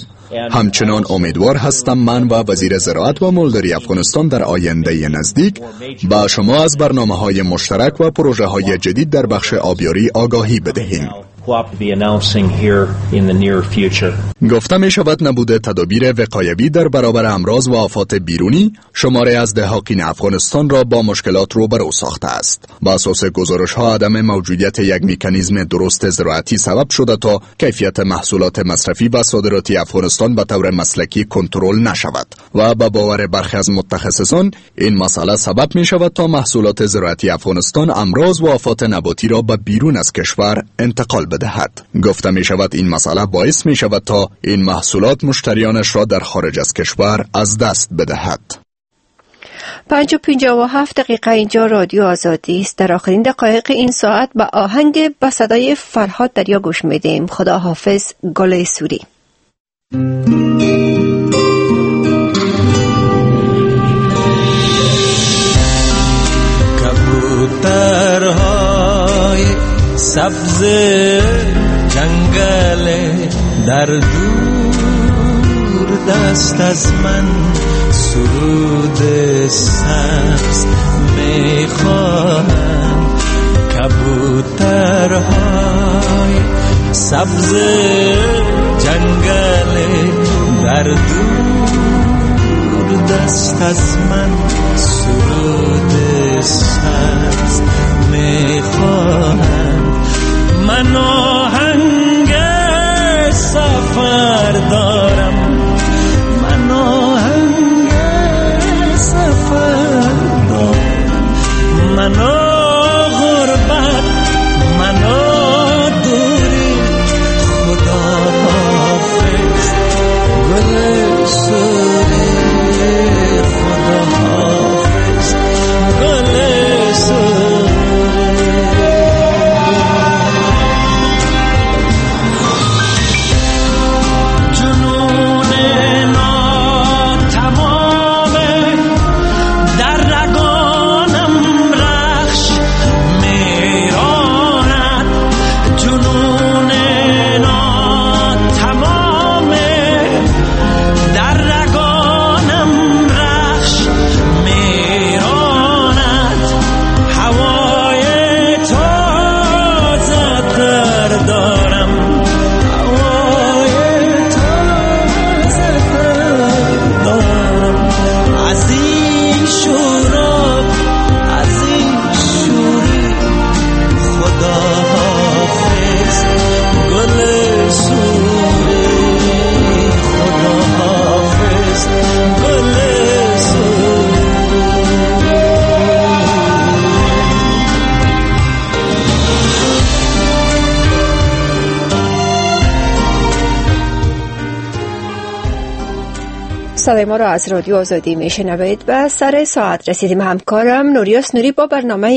همچنان امیدوار هستم من و وزیر زراعت و مالداری افغانستان در آینده نزدیک با شما از برنامه‌های مشترک و پروژه‌های جدید در بخش آبیاری آگاهی بدهیم. be announcing here in the near future. گفته می شود نبود تدابیر وقایوی در برابر امراض و آفات بیرونی شماری از دهاقین افغانستان را با مشکلات روبرو ساخته است. با اساس گزارش ها عدم موجودیت یک مکانیزم درست زراعتی سبب شده تا کیفیت محصولات مصرفی و صادراتی افغانستان به طور مسلکی کنترل نشود و به باور برخی از متخصصان این مسئله سبب می شود تا محصولات زراعتی افغانستان امراض و آفات نباتی را به بیرون از کشور انتقال بدهد. گفته می شود این مسئله باعث می شود تا این محصولات مشتریانش را در خارج از کشور از دست بدهد. 5:57 اینجا رادیو آزادی است. در آخرین دقایق این ساعت به آهنگ با صدای فرهاد دریا گوش میدیم. خدا حافظ گل سوری. کبوترهای سبز جنگل در دور دست از من سرود سبز میخوانم. کبوترهای سبز جنگل در دور دست از من سرود سبز میخوانم. من آهنگ سفر دارم، من آهنگ سفر دارم، من غربت، من دوری، خدا حافظ گل سوری، خدا حافظ گل سوری. صدای ما را از رادیو آزادی میشنوید. به سر ساعت رسیدیم. همکارم نوریاس نوری با برنامه